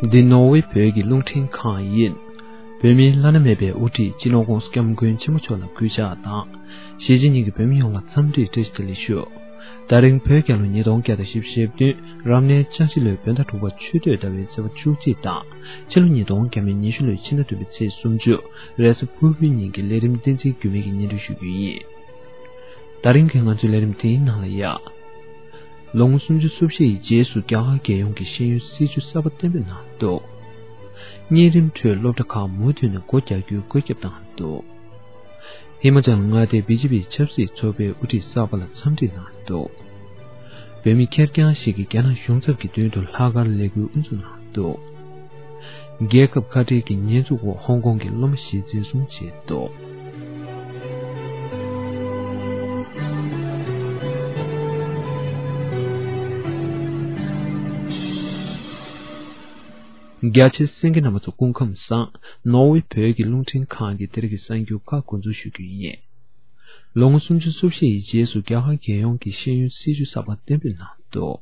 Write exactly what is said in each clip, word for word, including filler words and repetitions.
འདི་ནོར་ཝེ་བོད་ཀྱི་རླུང་འཕྲིན་ཁང་ཡིན། བོད་མིའི་བླ་ན་མེད་པའི་དབུ་ཁྲིད་སྤྱི་ནོར་༧གོང་ས་༧སྐྱབས་མགོན་ཆེན་པོ་མཆོག་ལ་གུས་ཕྱག་དང་། གཞིས་བྱེས་གཉིས་ཀྱི་བོད་མི་ཡོངས་ལ་འཚམས་འདྲི་བཀྲ་ཤིས་བདེ་ལེགས་ཞུ། ད་རིང་བོད་རྒྱལ་ལོ་ཉིས་སྟོང་བརྒྱ་དང་བཞི་བཅུ་ཞེ་བདུན་རབ་གནས་ལྕགས་བྱི་ལོའི་བོད་ཟླ་དྲུག་པ་ཆུ་སྟོད་ཟླ་བའི་ཚེས་པ་བཅུ་གཅིག་དང་། ཕྱི་ལོ་ཉིས་སྟོང་ཉི་ཤུ་ལོའི་ཕྱི་ཟླ་བདུན་པའི་ཚེས་སུམ་ཅུ་རེས་གཟའ་ཕུར་བུའི་ཉིན་གྱི་ལས་རིམ་བསྟན་འཛིན་འགྱུར་མེད་ཀྱིས་སྙན་སྒྲོན་ཞུ་རྒྱུ་ཡིན། ད་རིང་གི་ང་ཚོའི་ལས་རིམ་དེའི་ནང་ལ་ཡ། ལོ་ངོ་སུམ་ཅུ་སོ་བཞི་ཡི་རྗེས་སུ་རྒྱ་གར་རྒྱལ་ཡོངས་ཀྱི་ཤེས་ཡོན་སྲིད་བྱུས་གསར་པ་གཏན་འབེབས་གནང་འདུག་གཉན་རིམས་ཁྲོད་སློབ་གྲྭ་ཁག་མུ་མཐུད་ནས་སྒོ་རྒྱག་རྒྱུའི་བཀོད་ཁྱབ་བཏང་འདུག་ཧི་མ་ཅལ་མངའ་སྡེའི་བི་ཇེ་པི་ཆབ་སྲིད་ཚོགས་པའི་དབུ་ཁྲིད་གསར་པ་ལ་འཚམས་འདྲི་གནང་འདུག་བོད་མི་ཁེར་རྐྱང་ཞིག་གིས་རྒྱ་ནག་གཞུང་ཚབ་ཀྱི་མདུན་དུ་ལྷག་དཀར་ལས་འགུལ་དབུ་འཛུགས་གནང་འདུག་རྒྱལ་ཁབ་ཁ་བྲལ་གྱི་ཉེས་འཛུགས་འོག་ཧོང་ཀོང་གི་སློབ་མ་བཞི་འཛིན་བཟུང་བྱས་འདུག་རྒྱ་ཆེ་གསན་མཁན་རྣམ་པ་ཚོ་སྐུ་ཁམས་བཟང་། ནོར་ཝེ་བོད་ཀྱི་རླུང་འཕྲིན་ཁང་གི་དེ་རིང་གི་གསར་འགྱུར་ཁག་འགོ་འཛུགས་ཞུ་རྒྱུ་ཡིན། ལོ་ངོ་སུམ་ཅུ་སོ་བཞི་ཡི་རྗེས་སུ་རྒྱ་གར་རྒྱལ་ཡོངས་ཀྱི་ཤེས་ཡོན་སྲིད་བྱུས་གསར་པ་གཏན་འབེབས་གནང་འདུག་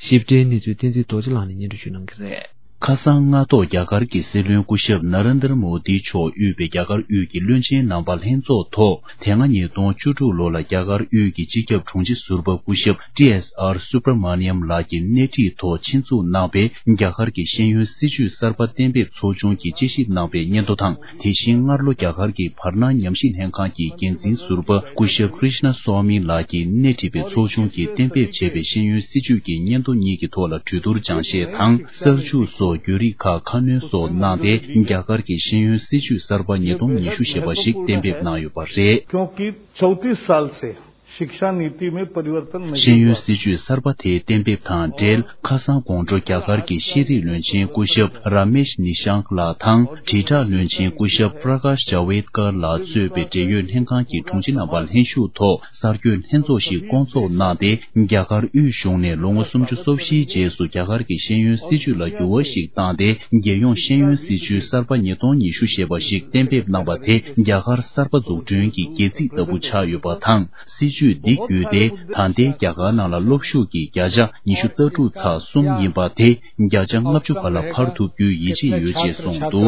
ཞིབ་ཕྲའི་གནས་ཚུལ་བསྟན་འཛིན་རྡོ་རྗེ་ལགས་ནས་སྙན་སྒྲོན་ཞུ་གནང་གི་རེད། ཁ་སང་སྔ་ཐོག་རྒྱ་གར་གྱི་སྲིད་བློན་སྐུ་ཞབས་ན་རེན་དར་མོ་དི་མཆོག་དབུས་པའི་རྒྱ་གར་དབུས་ཀྱི་བློན་ཆེན་རྣམ་པ་ལྷན་ཚོགས་ཐོག་དེ་སྔ་ཉིས་སྟོང་བཅུ་དྲུག་ལོ་ལ་རྒྱ་གར་དབུས་ཀྱི་སྤྱི་ཁྱབ་དྲུང་ཆེ་ཟུར་པ་སྐུ་ཞབས་ཏི་ཨེས་ཨར་སུབ་ར་མ་ནི་ཡམ་ལགས་ཀྱིས་སྣེ་ཁྲིད་ཐོག་ཆེད་འཛུགས་གནང་བའི་རྒྱ་གར་གྱི་ཤེས་ཡོན་སྲིད་བྱུས་གསར་པ་གཏན་འབེབས་ཚོགས་ཆུང་གིས་དཔྱད་ཞིབ་གནང་བའི་སྙན་ཐོ་དང་། དེ་བཞིན་སྔར་ལོ་རྒྱ་གར་གྱི་བར་སྣང་ཉམས་ཞིབ་ལྷན་ཁང་གི་འགན་འཛིན་ཟུར་པ་སྐུ་ཞབས་ཀྲིཤ་ན་སྭ་མི་ལགས་ཀྱིས་སྣེ་ཁྲིད་པའི་ཚོགས་ཆུང་གིས་གཏན་འབེབས་བྱས་པའི་ཤེས་ཡོན་སྲིད་བྱུས་ཀྱི་སྙན་ཐོ་གཉིས་ཀྱི་ཐོག་ལ་གྲོས་བསྡུར་སྦྱང་བཤད་དང་། གསར་འཇུག་སོགས་བརྒྱུད་རིམ་ཁག་ཁ་སྣོན་སོགས་གནང་སྟེ། རྒྱ་གར་གྱི་ཤེས་ཡོན་སྲིད་བྱུས་གསར་པ་ཉིས་སྟོང་ཉི་ཤུ་ཞེས་པ་ཞིག་གཏན་འབེབས་གནང་ཡོད་པ་རེད། क्योंकि चौंतीस साल से शिक्षा नीति में परिवर्तन नहीं ཤེས་ཡོན་हुआ। སྲིད་བྱུས་གསར་པ་དེའི་གཏན་འབེབས་དང་འབྲེལ། ཁ་སང་དགོང་དྲོ་རྒྱ་གར་གྱི་ཤེས་རིག་བློན་ཆེན་སྐུ་ཞབས་ར་མེཤ་ནི་ཤང་ལགས་དང་། དྲིལ་བསྒྲགས་བློན་ཆེན་སྐུ་ཞབས་པྲ་ཀཱཤ་ཇཱ་ཝེད་ཀར་ལགས་གཙོས་པའི་འབྲེལ་ཡོད་ལྷན་ཁང་གི་དྲུང་ཆེ་རྣམ་པ་ལྷན་ཞུགས་ཐོག་གསར་འགོད་ལྷན་ཚོགས་ཤིག་བསྐོང་ཚོགས་གནང་སྟེ། རྒྱ་གར་དབུས་གཞུང་ནས་ལོ་ངོ་སུམ་ཅུ་སོ་བཞིའི་རྗེས་སུ་རྒྱ་གར་གྱི་ཤེས་ཡོན་སྲིད་བྱུས་ལ་འགྱུར་བ་ཞིག་བཏང་སྟེ། རྒྱལ་ཡོངས་ཤེས་ཡོན་སྲིད་བྱུས་གསར་པ་ཉིས་སྟོང་ཉི་ཤུ་ཞེས་པ་ཞིག་གཏན་འབེབས་གནང་བ་དེ་རྒྱ་གར་གསར་པ་འཛུགས་སྐྲུན་གྱི་སྒལ་ཚིགས་ལྟ་བུ་ཆགས་ཡོད་པ་དང་། སྲིད་བྱུས་འདི་བརྒྱུད་དེ་ད་ལྟའི་རྒྱ་གར་ནང་ལ་སློབ་ཞུགས་ཀྱི་བརྒྱ་ཆ་ཉི་ཤུ་རྩ་དྲུག་ཚེག་གསུམ་ཡིན་པ་དེ་བརྒྱ་ཆ་ལྔ་བཅུ་བར་ལ་འཕར་ཐུབ་རྒྱུའི་ཡིད་ཆེས་ཡོད་ཅེས་གསུངས་འདུག་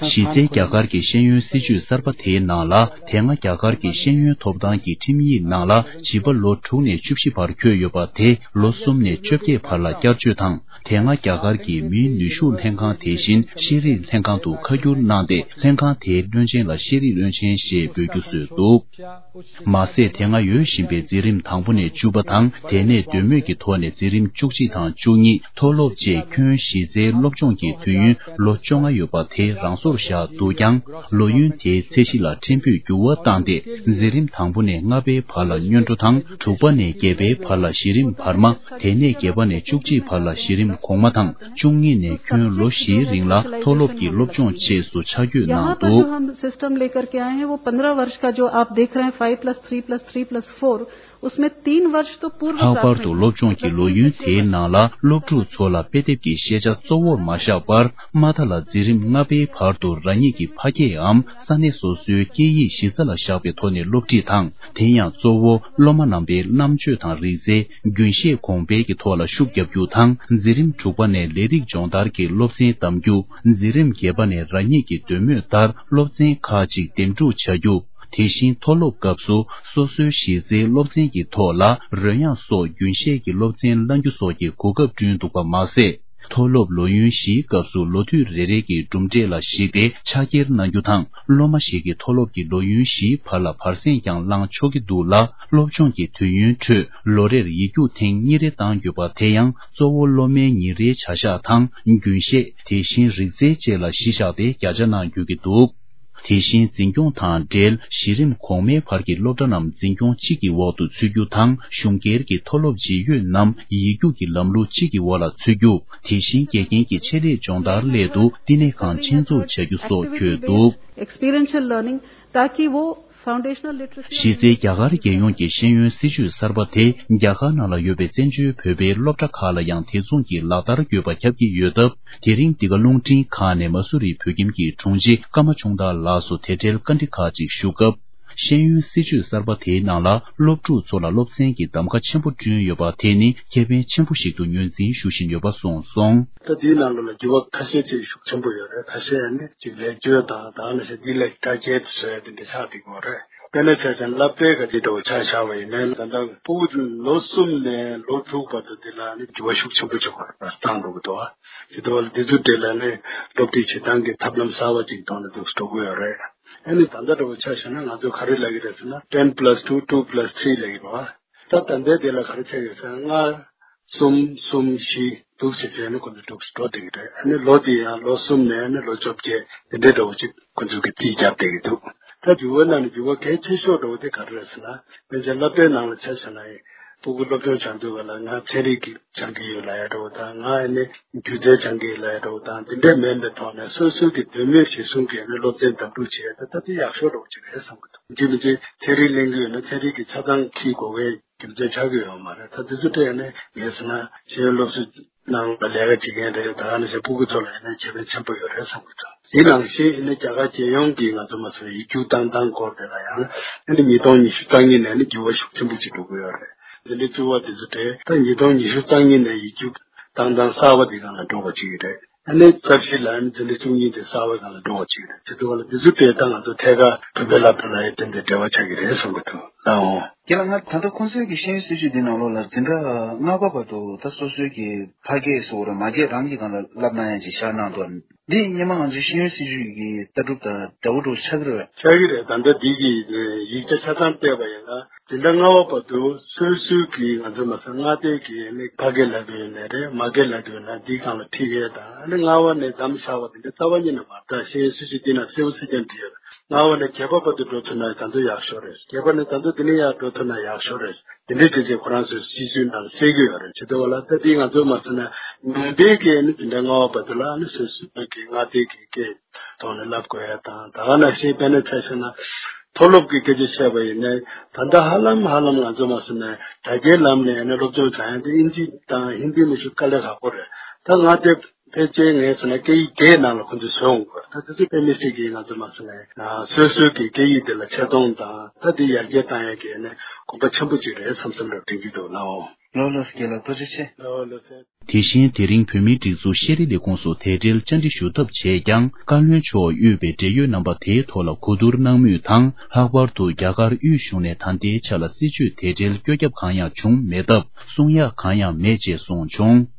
གཞི་རྩའི་རྒྱ་གར་གྱི་ཤེས་ཡོན་སྲིད་བྱུས་གསར་པ་དེའི་ནང་ལ། དེ་སྔ་རྒྱ་གར་གྱི་ཤེས་ཡོན་ཐོབ་ཐང་གི་ཁྲིམས་ཡིག་ནང་ལ་བྱིས་པ་ལོ་དྲུག་ནས་བཅུ་བཞི་བར་འཁོད་ཡོད་པ་དེ་ལོ་གསུམ་ནས་བཅོ་བརྒྱད་བར་ལ་བསྐྱར་བཅོས་དང་། དེ་སྔ་རྒྱ་གར་གྱི་མིའི་ནུས་ཤུགས་ལྷན་ཁང་དེ་བཞིན་ཤེས་རིག་ལྷན་ཁང་དུ་ཁ་བསྒྱུར་གནང་སྟེ། ལྷན་ཁང་དེའི་བློན་ཆེན་ལ་ཤེས་རིག་བློན་ཆེན་ཞེས་འབོད་རྒྱུ་བཟོས་འདུག་མ་ཟད། དེ་སྔ་ཡོད་བཞིན་པའི་འཛིན་རིམ་དང་པོ་ནས་བཅུ་པ་དང་། དེ་ནས་འདོད་མོས་ཀྱི་ཐོག་ནས་འཛིན་རིམ་བཅུ་གཅིག་དང་བཅུ་གཉིས། མཐོ་སློབ་བཅས་ཁྱོན་གཞི་རྩའི་སློབ་སྦྱོང་གི་དུས་ཡུན་ལོ་བཅོ་ལྔ་ཡོད་པ་དེ་རང་སོར་བཞག་འདུག་ཀྱང་། ལོ་ཡུན་དེའི་ཚད་གཞི་ལ་ཕྲན་བུ་འགྱུར་བ་བཏང་སྟེ། འཛིན་རིམ་དང་པོ་ནས་ལྔ་པའི་བར་ལ་སྔོན་འགྲོ་དང་། དྲུག་པ་ནས་བརྒྱད་པའི་བར་ལ་གཞི་རིམ་བར་མ། དེ་ནས་བརྒྱད་པ་ནས་བཅུ་གཅིག་བར་ལ་གཞི་རིམ་གོང་མ་དང་། བཅུ་གཉིས་ནས་ཁྱོན་ལོ་བཞིའི་རིང་ལ་མཐོ་སློབ་ཀྱི་སློབ་སྦྱོང་བཅས་སུ་ཆ་བགོས་གནང་འདུག हम सिस्टम लेकर के आए हैं, वो पन्द्रह वर्ष का जो आप देख रहे हैं, five plus three plus three plus four, उसमें तीन वर्ष तो पूर्व ལྷག་པར་དུ་སློབ་སྦྱོང་གི་ལོ་ཡུན་དེའི་ནང་ལ་སློབ་ཕྲུག་ཚོ་ལ་དཔེ་དེབ་ཀྱི་ཤེས་བྱ་གཙོ་བོར་མ་བཞག་པར། མ་མཐའ་ལ་འཛིན་རིམ་ལྔ་པའི་བར་དུ་རང་ཉིད་ཀྱི་ཕ་སྐད་འམ་ས་གནས་སོ་སོའི་སྐད་ཡིག་གཞི་རྩ་ལ་བཞག་པའི་ཐོག་ནས་སློབ་ཁྲིད་དང་། དེ་ཡང་གཙོ་བོ་སློབ་མ་རྣམ་པའི་རྣམ་དཔྱོད་དང་རིག་རྩལ། རྒྱུན་ཤེས་གོང་འཕེལ་གྱི་ཐོག་ལ་ཤུགས་རྒྱག་རྒྱུ་དང་། འཛིན་རིམ་དྲུག་པ་ནས་ལས་རིགས་སྦྱོང་བརྡར་གྱི་སློབ་ཚན་གདམ་རྒྱུ། འཛིན་རིམ་བརྒྱད་པ་ནས་རང་ཉིད་ཀྱི་འདོད་མོས་ལྟར་སློབ་ཚན་ཁག་ཅིག་འདེམས་སྒྲུག་བྱ་རྒྱུ། དེ་བཞིན་མཐོ་སློབ་སྐབས་སུ་སོ་སོའི་གཞི་རྩའི་སློབ་ཚན་གྱི་ཐོག་ལ་རོལ་དབྱངས་སོགས་རྒྱུན་ཤེས་ཀྱི་སློབ་ཚན་བླང་རྒྱུ་སོགས་ཀྱི་གོ་སྐབས་བསྐྲུན་འདུག་པ་མ་ཟད། མཐོ་སློབ་ལོ་ཡུན་བཞིའི་སྐབས་སུ་ལོ་དུས་རེ་རེ་གི་གྲུབ་འབྲས་ལ་གཞིགས་ཏེ་ཕྱག་འཁྱེར་གནང་རྒྱུ་དང་། སློབ་མ་ཞིག་གིས་མཐོ་སློབ་ཀྱི་ལོ་ཡུན་བཞིའི་བར་ལ་བར་གསེང་ཀྱང་བླང་ཆོག་གི་འདུག་ལ། སློབ་སྦྱོང་གི་དུས་ཡུན་ཁྲོད་ལོ་རེར་ཡིག་རྒྱུགས་ཐེངས་གཉིས་རེ་གཏང་དགོས་པ་དེ་ཡང་གཙོ་བོ་སློབ་མའི་ཉིན་རེའི་བྱ་གཞག་དང་། རྒྱུན་ཤེས། དེ་བཞིན་རིག་རྩལ་བཅས་ལ་གཞི་བཞག་སྟེ་བརྒྱ་ཆ་གནང་དགོས་ཀྱི་འདུག་དེ་བཞིན་འཛིན་སྐྱོང་དང་འབྲེལ་གཞི་རིམ་གོང་མའི་བར་གྱི་སློབ་གྲྭ་རྣམས་འཛིན་སྐྱོང་གཅིག་གི་འོག་ཏུ་ཚུད་རྒྱུ་དང་། གཞུང་སྒེར་གྱི་མཐོ་སློབ་ཇི་ཡོད་རྣམས་ཡིག་རྒྱུགས་ཀྱི་ལམ་ལུགས་གཅིག་གི་འོག་ལ་ཚུད་རྒྱུ། དེ་བཞིན་དགེ་རྒན་གྱི་ཆེད་ལས་སྦྱོང་བརྡར་སླད་དུ་བསྟི་གནས་ཁང་ཆེད་འཛུགས་བྱ་རྒྱུ་སོགས་འཁོད་འདུག Experiential learning, ताकि वो foundational literacy གཞི་རྩའི་རྒྱ་གར་རྒྱལ་ཡོངས་ཀྱི་ཤེས་ཡོན་སྲིད་བྱུས་གསར་པ་དེ་རྒྱ་གར་ནང་ལ་ཡོད་པའི་བཙན་བྱོལ་བོད་པའི་སློབ་གྲྭ་ཁག་ལ་ཡང་དེ་མཚུངས་ཀྱི་ལག་བསྟར་དགོས་པ་ཁྱབ་ཀྱི་ཡོད་སྟབས། དེ་རིང་འདི་ག་རླུང་འཕྲིན་ཁང་ནས་མ་སུ་རི་བོད་ཁྱིམ་གྱི་དྲུང་ཆེ་ཀརྨ་ཆུང་བདག་ལགས་སུ་དེ་འབྲེལ་བཀའ་འདྲི་ཁག་ཅིག་ཞུ་སྐབས། ཤེས་ཡོན་སྲིད་བྱུས་གསར་པ་དེའི་ནང་ལ་སློབ་ཕྲུག་ཚོ་ལ་སློབ་ཚན་གྱི་གདམ་ག་ཆེན་པོ་བསྐྲུན་ཡོད་པ་དེ་ནི་ཁེ་ཕན་ཆེན་པོ་ཞིག་ཏུ་ངོས་འཛིན་ཞུ་བཞིན་ཡོད་པ་གསུངས་སོང་། ད་དེའི་ནང་ལ་འགྱུར་བ་ཁ་ཤས་ཅིག་ཤུགས་ཆེན་པོ་ཡོད་རེད། ཁ་ཤས་ནི་ཅིག་ལེགས་བཅོས་དང་ད་ནི་ཞེ་འདི་ལེགས་བཀྲ་རྒྱས་བཟོ་ཡ་དེ་འདྲ་ཆགས་བསྡད་ཀྱི་ཡོད་རེད། དཔེར་ན་ཆ་བཞག་ན་སློབ་གྲྭའི་ག་དེ་འདྲ་བོ་ཆ་བཞག་པ་ཡིན་ན་ད་ལྟ་ཕྲུ་གུ་ལོ་གསུམ་ནས་ལོ་དྲུག་བར་དུ་དེ་ལ་ནི་འགྱུར་བ་ཤུགས་ཆེན་པོ་ཅིག་བཏང་འགྲོ་གི་འདུག་བ། དེ་འདྲ་བ་ལ་དེ་ཚོ་དེ་ལ་ནི་སློབ་ཁྲིད་བྱེད་སྟངས་ཀྱི་ཐབས་ལམ་གསར་བ་ཅིག་ཐོག་ནས་འདུག་འགྲོ་གི་ཡོད་རེད། ཨ་ནི་ད་ལྟ་འདྲ་བོ་ཆ་བཞག་ན་ང་ཚོ་ག་རེ་ལབ་ཀྱི་རེད་ཟེར་ན་ten plus two two plus three ལབ་ཀྱི་རེད་བ། ད་ད་ལྟའི་དེ་ལ་ག་རེ་ཆགས་ཡོད་ཟེར་ན་ལྔ་གསུམ་གསུམ་བཞི་འདུག་བྱས་བྱས་ནས་ཁོ་ཚོ་འགྲོ་འགྲོ་བསྡད་ཀྱི་རེད། ཨ་ནི་ལོ་དེ་ཡང་ལོ་གསུམ་ནས་ཨ་ནི་ལོ་བཅོ་བརྒྱད་དེ་འདྲའི་འདྲ་བོ་ཅིག་ཁོ་ཚོ་གིས་རྩིས་རྒྱབ་བསྡད་ཀྱི་འདུག་ད་འགྱུར་བ་ནང་ནས་འགྱུར་བ་གལ་ཆེ་ཤོས་འདྲ་བོ་དེ་ག་རེ་རེད་ཟེར་ན། དཔེར་ན་སློབ་གྲྭའི་ནང་ལ་ཆ་བཞག་ན་ཡིན། ཕྲུ་གུ་སློབ་སྦྱོང་བྱ་འདོད་པ་ལ་ང་ཚན་རིག་གི་སྦྱང་གི་ཡོད་ལབ་ཡ་འདྲ་བོ་དང་། ང་ཨ་ནི་སྒྱུ་རྩལ་སྦྱང་གི་ཡོད་ལབ་ཡ་འདྲ་བོ་དང་། འདི་འདྲ་མིན་པའི་ཐོག་ནས་སོ་སོའི་གི་འདོད་མོས་གཞིར་བཟུང་གིས་ཨ་ནི་སློབ་ཚན་འདེམས་སྒྲུག་བྱེད་ཡ་དེ་ད་དེ་ཡག་ཤོས་འདྲ་བོ་ཅིག་རེད་བསམ་གི་འདུག་འདི་མི་ཚེ་ཚན་རིག་གླེང་གི་ཡོད་ན་ཚན་རིག་གི་ཆ་ཚང་འཁྱེར་དགོས་པའི་རྒྱུ་མཚན་ཆགས་ཀྱི་ཡོད་མ་རེད། ད་དེ་ཚོ་སྤྲད་ནས་ངས་ཟེར་ན་ཤེས་ཡོན་སློབ་གསོའི་ནང་ལ་ལས་ཀ་བྱེད་མཁན་རེད། ད་ག་ནང་བཞིན་ཕྲུ་གུ་ཚོ་ལ་ཡིན་ན་ཁེ་ཕན་ཆེན་པོ་ཡོད་རེད་བསམ་གྱི་འདུག་དེ་ནང་བཞིན་ཡིན་ན་རྒྱ་གར་རྒྱལ་ཡོངས་ཀྱི་ང་ཚོ་མ་ཟད་ཡིག་རྒྱུགས་བཏང་སྟངས་སྐོར་དེ་ལ་ཡང་ཨ་ནི་ཉིས་སྟོང་ཉི་ཤུ་རྩ་གཉིས་ནས་ནི་འགྱུར་བ་ཤུགས་ཆེན་པོ་ཅིག་འགྲོ་གི་ཡོད་རེད། འཛིན་གྲྭ་བཅུ་པ་དེ་ཚོ་དེ་ད་ཉིས་སྟོང་ཉི་ཤུ་རྩ་གཉིས་ནས་ཡིག་རྒྱུགས་བཏང་སྟངས་གསར་པ་དེ་སྒང་ལ་འགྲོ་དགོས་ཀྱི་རེད། ཨ་ནི་རྩ་བཞི་ལ་ཨ་ནི་འཛིན་གྲྭ་བཅུ་གཉིས་དེ་གསར་པའི་སྒང་ལ་འགྲོ་དགོས་ཀྱི་རེད། དེ་ཚོ་བ་ལ་དེ་ཚོ་དེ་ད་ང་ཚོ་ཐད་ཀར་བོད་པའི་སློབ་གྲྭ་ལ་ཡང་དེ་འདྲའི་འབྲེལ་བ་ཆགས་ཀྱི་རེད་བསམ་གྱི་འདུག་ལགས་འོང་། རྒན་ལགས། ང་ད་ལྟ་ཁོང་ཚོའི་གི་ཤེས་ཡོན་སྲིད་བྱུས་འདི་ནང་ལོགས་ལ་འཛིན་གྲྭ་ལྔ་པ་བར་དུ་ད་སོ་སོའི་གི་ཕ་སྐད་སོགས་ར་མ་སྐད་རང་གི་སྒང་ལ་བསླབ་གནང་ཡ་ཅིག་བཞག་གནང་འདུག་འདི་སྔོན་མ་ང་ཚོའི་ཤེས་ཡོན་སྲིད་བྱུས་ཀྱི་ལྟ་གྲུབ་དང་འདྲ་བོ་འདྲ་བོ་ཆགས་ཀྱི་རེད་པས། ཆགས་ཀྱི་རེད། ད་ལྟ་འདི་གི་ཡིག་ཆ་ཆ་ཚང་བལྟས་པ་ཡིན་ན་འཛིན་གྲྭ་ལྔ་པ་བར་དུ་སོ་སོའི་གི་ང་ཚོ་མ་ཟད་མངའ་སྡེ་གི་ནི་ཕ་སྐད་ལབ་ཀྱི་ཡོད་ནའི་རེད། མ་སྐད་ལབ་ཀྱི་ཡོད་ན་འདིའི་སྒང་ལ་ཁྲིད་ཡས་དང་། ཨ་ནི་ལྔ་པ་ནས་མཚམས་བཞག་པ་དེ་འདྲ་རྩ་བ་ཉིད་ནས་མ་རེད། ད་ཤེས་ཡོན་སྲིད་བྱུས་འདི་ན་གསལ་པོ་གསལ་རྐྱང་བྲིས་ཡོད་རེད། ལྔ་པ་ནས་བརྒྱད་པ་བར་དུ་འགྲོ་ཐུབ་ན་ད་དུང་ཡག་ཤོས་རེད། བརྒྱད་པ་ནས་ད་དུང་དེ་ནས་ཡར་འགྲོ་ཐུབ་ན་ཡག་ཤོས་རེད། དེ་འདྲའི་བྱས་རྗེས་ཁོ་རང་ཚོའི་སྲིད་བྱུས་ནང་གསལ་གྱི་ཡོད་རེད། བྱེད་དུས་བ་ལ་ད་དེ་ང་ཚོ་མ་ཚོ་ན་ནང་པའི་གི་ནི་འཛིན་གྲྭ་ལྔ་པ་བར་དུ་ལ་ནི་སོ་སོའི་གི་མངའ་སྡེ་གི་སྐད་ཐོག་ནས་བསླབ་དགོས་ཡ་དང་། ད་ག་ནང་བཞིན་དཔེར་ན་ཆ་བཞག་ན་མཐོ་སློབ་ཀྱི་སྐད་ཆ་བཤད་པ་ཡིན་ན་ད་ལྟ་ཧ་ལམ་ཧ་ལམ་ང་ཚོ་མ་ཚོ་ན་དྲ་རྒྱའི་ལམ་ནས་ནི་སློབ་སྦྱོང་བྱ་ཡ་དེ་ཨིན་ཇི་དང་ཧིན་དི་ནི་ཞིག་དཀའ་ལས་ཁག་པོ་རེད། ད་ང་དེ་ཕལ་ཆེར་ངས་ཟེར་ན་སྐད་ཡིག་བརྒྱད་ནང་ལ་ཁོ་ཚོས་བཟོས་འོང་གི་རེད། ད་དེ་ཚོ་དཔེ་མི་སྲིད་ཀྱི་ང་ཚོ་མ་ཟེར་ན་སོ་སོའི་གི་སྐད་ཡིག་དེ་ལ་ཆེ་མཐོང་དང་ད་དེ་ཡར་རྒྱས་བཏང་ཡ་གི་ནི་གོམ་པ་ཆེན་པོ་ཅིག་རེད་བསམ་བསམ་འདྲ་དྲན་གྱི་འདུག་ལགས་འོང་། ལགས་ལགས་སོ། རྒན་ལགས་ཐུགས་རྗེ་ཆེ། ལགས་ལགས་སོ། དེ་བཞིན་དེ་རིང་བོད་མིའི་སྒྲིག་འཛུགས་ཤེས་རིག་ལས་ཁུངས་སུ་དེ་འབྲེལ་བཅར་འདྲི་ཞུ་ཐབས་བྱས་ཀྱང་བཀའ་བློན་མཆོག་དབུས་པའི་འབྲེལ་ཡོད་རྣམ་པ་དེའི་ཐོག་ལ་གོ་བསྡུར་གནང་མུས་དང་། ལྷག་པར་དུ་རྒྱ་གར་དབུས་གཞུང་ནས་ད་ལྟའི་ཆ་ལ་སྲིད་བྱུས་དེ་འབྲེལ་བཀོད་ཁྱབ་གང་ཡང་བྱུང་མེད་སྟབས། གསུང་ཡག་གང་ཡང་མེད་ཅེས་གསུངས་བྱུང་།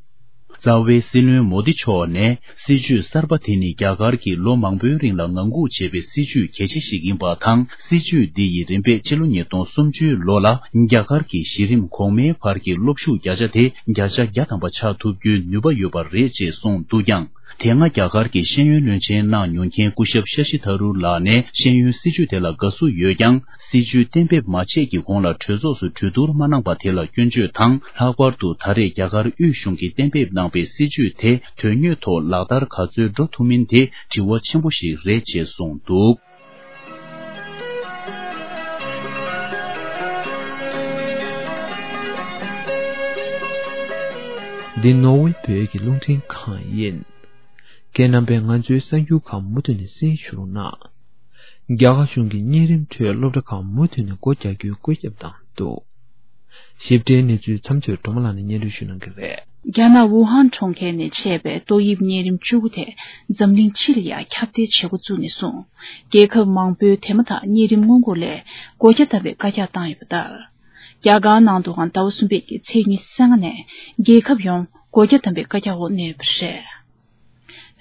རྩ་བའི་སྲིད་བློན་མོ་དི་མཆོག་ནས་སྲིད་བྱུས་གསར་པ་དེ་ནི་རྒྱ་གར་གྱིས་ལོ་མང་པོའི་རིང་ལ་ངང་སྒུག་བྱས་པའི་སྲིད་བྱུས་གལ་ཆེ་ཞིག་ཡིན་པ་དང་། སྲིད་བྱུས་འདི་ཡིས་རིམ་པས་ཕྱི་ལོ་ཉིས་སྟོང་སུམ་ཅུའི་ལོ་ལ་རྒྱ་གར་གྱི་གཞི་རིམ་གོང་མའི་བར་གྱི་སློབ་ཞུགས་བརྒྱ་ཆ་དེ་བརྒྱ་ཆ་བརྒྱ་ཐམ་པ་ཆགས་ཐུབ་རྒྱུའི་ནུས་པ་ཡོད་པ་རེད་ཅེས་གསུངས་འདུག་ཀྱང་། དེ་སྔ་རྒྱ་གར་གྱི་ཤེས་ཡོན་བློན་ཆེན་གནང་མྱོང་མཁན་སྐུ་ཞབས་ཤ་ཤི་ཐ་རུར་ལགས་ནས་ཤེས་ཡོན་སྲིད་བྱུས་དེ་ལ་དགའ་བསུ་ཡོད་ཀྱང་། སྲིད་བྱུས་གཏན་འབེབས་མ་བྱས་ཀྱི་གོང་ལ་གྲོས་ཚོགས་སུ་གྲོས་བསྡུར་མ་གནང་པ་དེ་ལ་སྐྱོན་བརྗོད་དང་། ལྷག་པར་དུ་ད་རེས་རྒྱ་གར་དབུས་གཞུང་གིས་གཏན་འབེབས་གནང་པའི་སྲིད་བྱུས་དེ་དོན་དངོས་ཐོག་ལག་བསྟར་ག་ཚོད་འགྲོ་ཐུབ་མིན་དེ་དྲི་བ་ཆེན་པོ་ཞིག་རེད་ཅེས་གསུངས་འདུག། འདི་ནོར་ཝེ་བོད་ཀྱི་རླུང་འཕྲིན་ཁང་ཡིན། ཁྱེད་རྣམ་པས་ང་ཚོའི་གསར་འགྱུར་ཁག་མུ་མཐུད་ནས་གསན་ཞུ་རོགས་གནང་། རྒྱ་གར་གཞུང་གིས་གཉན་རིམས་ཁྲོད་སློབ་གྲྭ་ཁག་མུ་མཐུད་ནས་སྒོ་རྒྱག་རྒྱུའི་བཀོད་ཁྱབ་བཏང་འདུག། ཞིབ་ཕྲའི་གནས་ཚུལ་མཚམས་ཚོད་སྒྲོལ་མ་ལགས་ནས་སྙན་སྒྲོན་ཞུ་གནང་གི་རེད། རྒྱ་ནག་ཝུ་ཧན་གྲོང་ཁྱེར་ནས་མཆེད་པའི་ཏོག་དབྱིབས་གཉན་རིམས་བཅུ་དགུ་དེ་འཛམ་གླིང་སྤྱི་ལ་ཡང་ཁྱབ་གདལ་བྱེད་འགོ་བཙུགས་ནས་བཟུང་། རྒྱལ་ཁབ་མང་པོའི་དེ་མ་ཐག་གཉན་རིམས་སྔོན་འགོག་སླད་སྒོ་རྒྱ་བསྡམས་པའི་བཀའ་རྒྱ་བཏང་ཡོད་པ་ལྟར། རྒྱ་གར་ནང་དུའང་ཟླ་བ་གསུམ་པའི་གི་ཚེས་ཉི་ཤུ་རྩ་ལྔ་ནས་རྒྱལ་ཁབ་ཡོངས་སྒོ་རྒྱ་བསྡམས་པའི་བཀའ་རྒྱ་འོག་གནས་ཡོད་པ་རེད།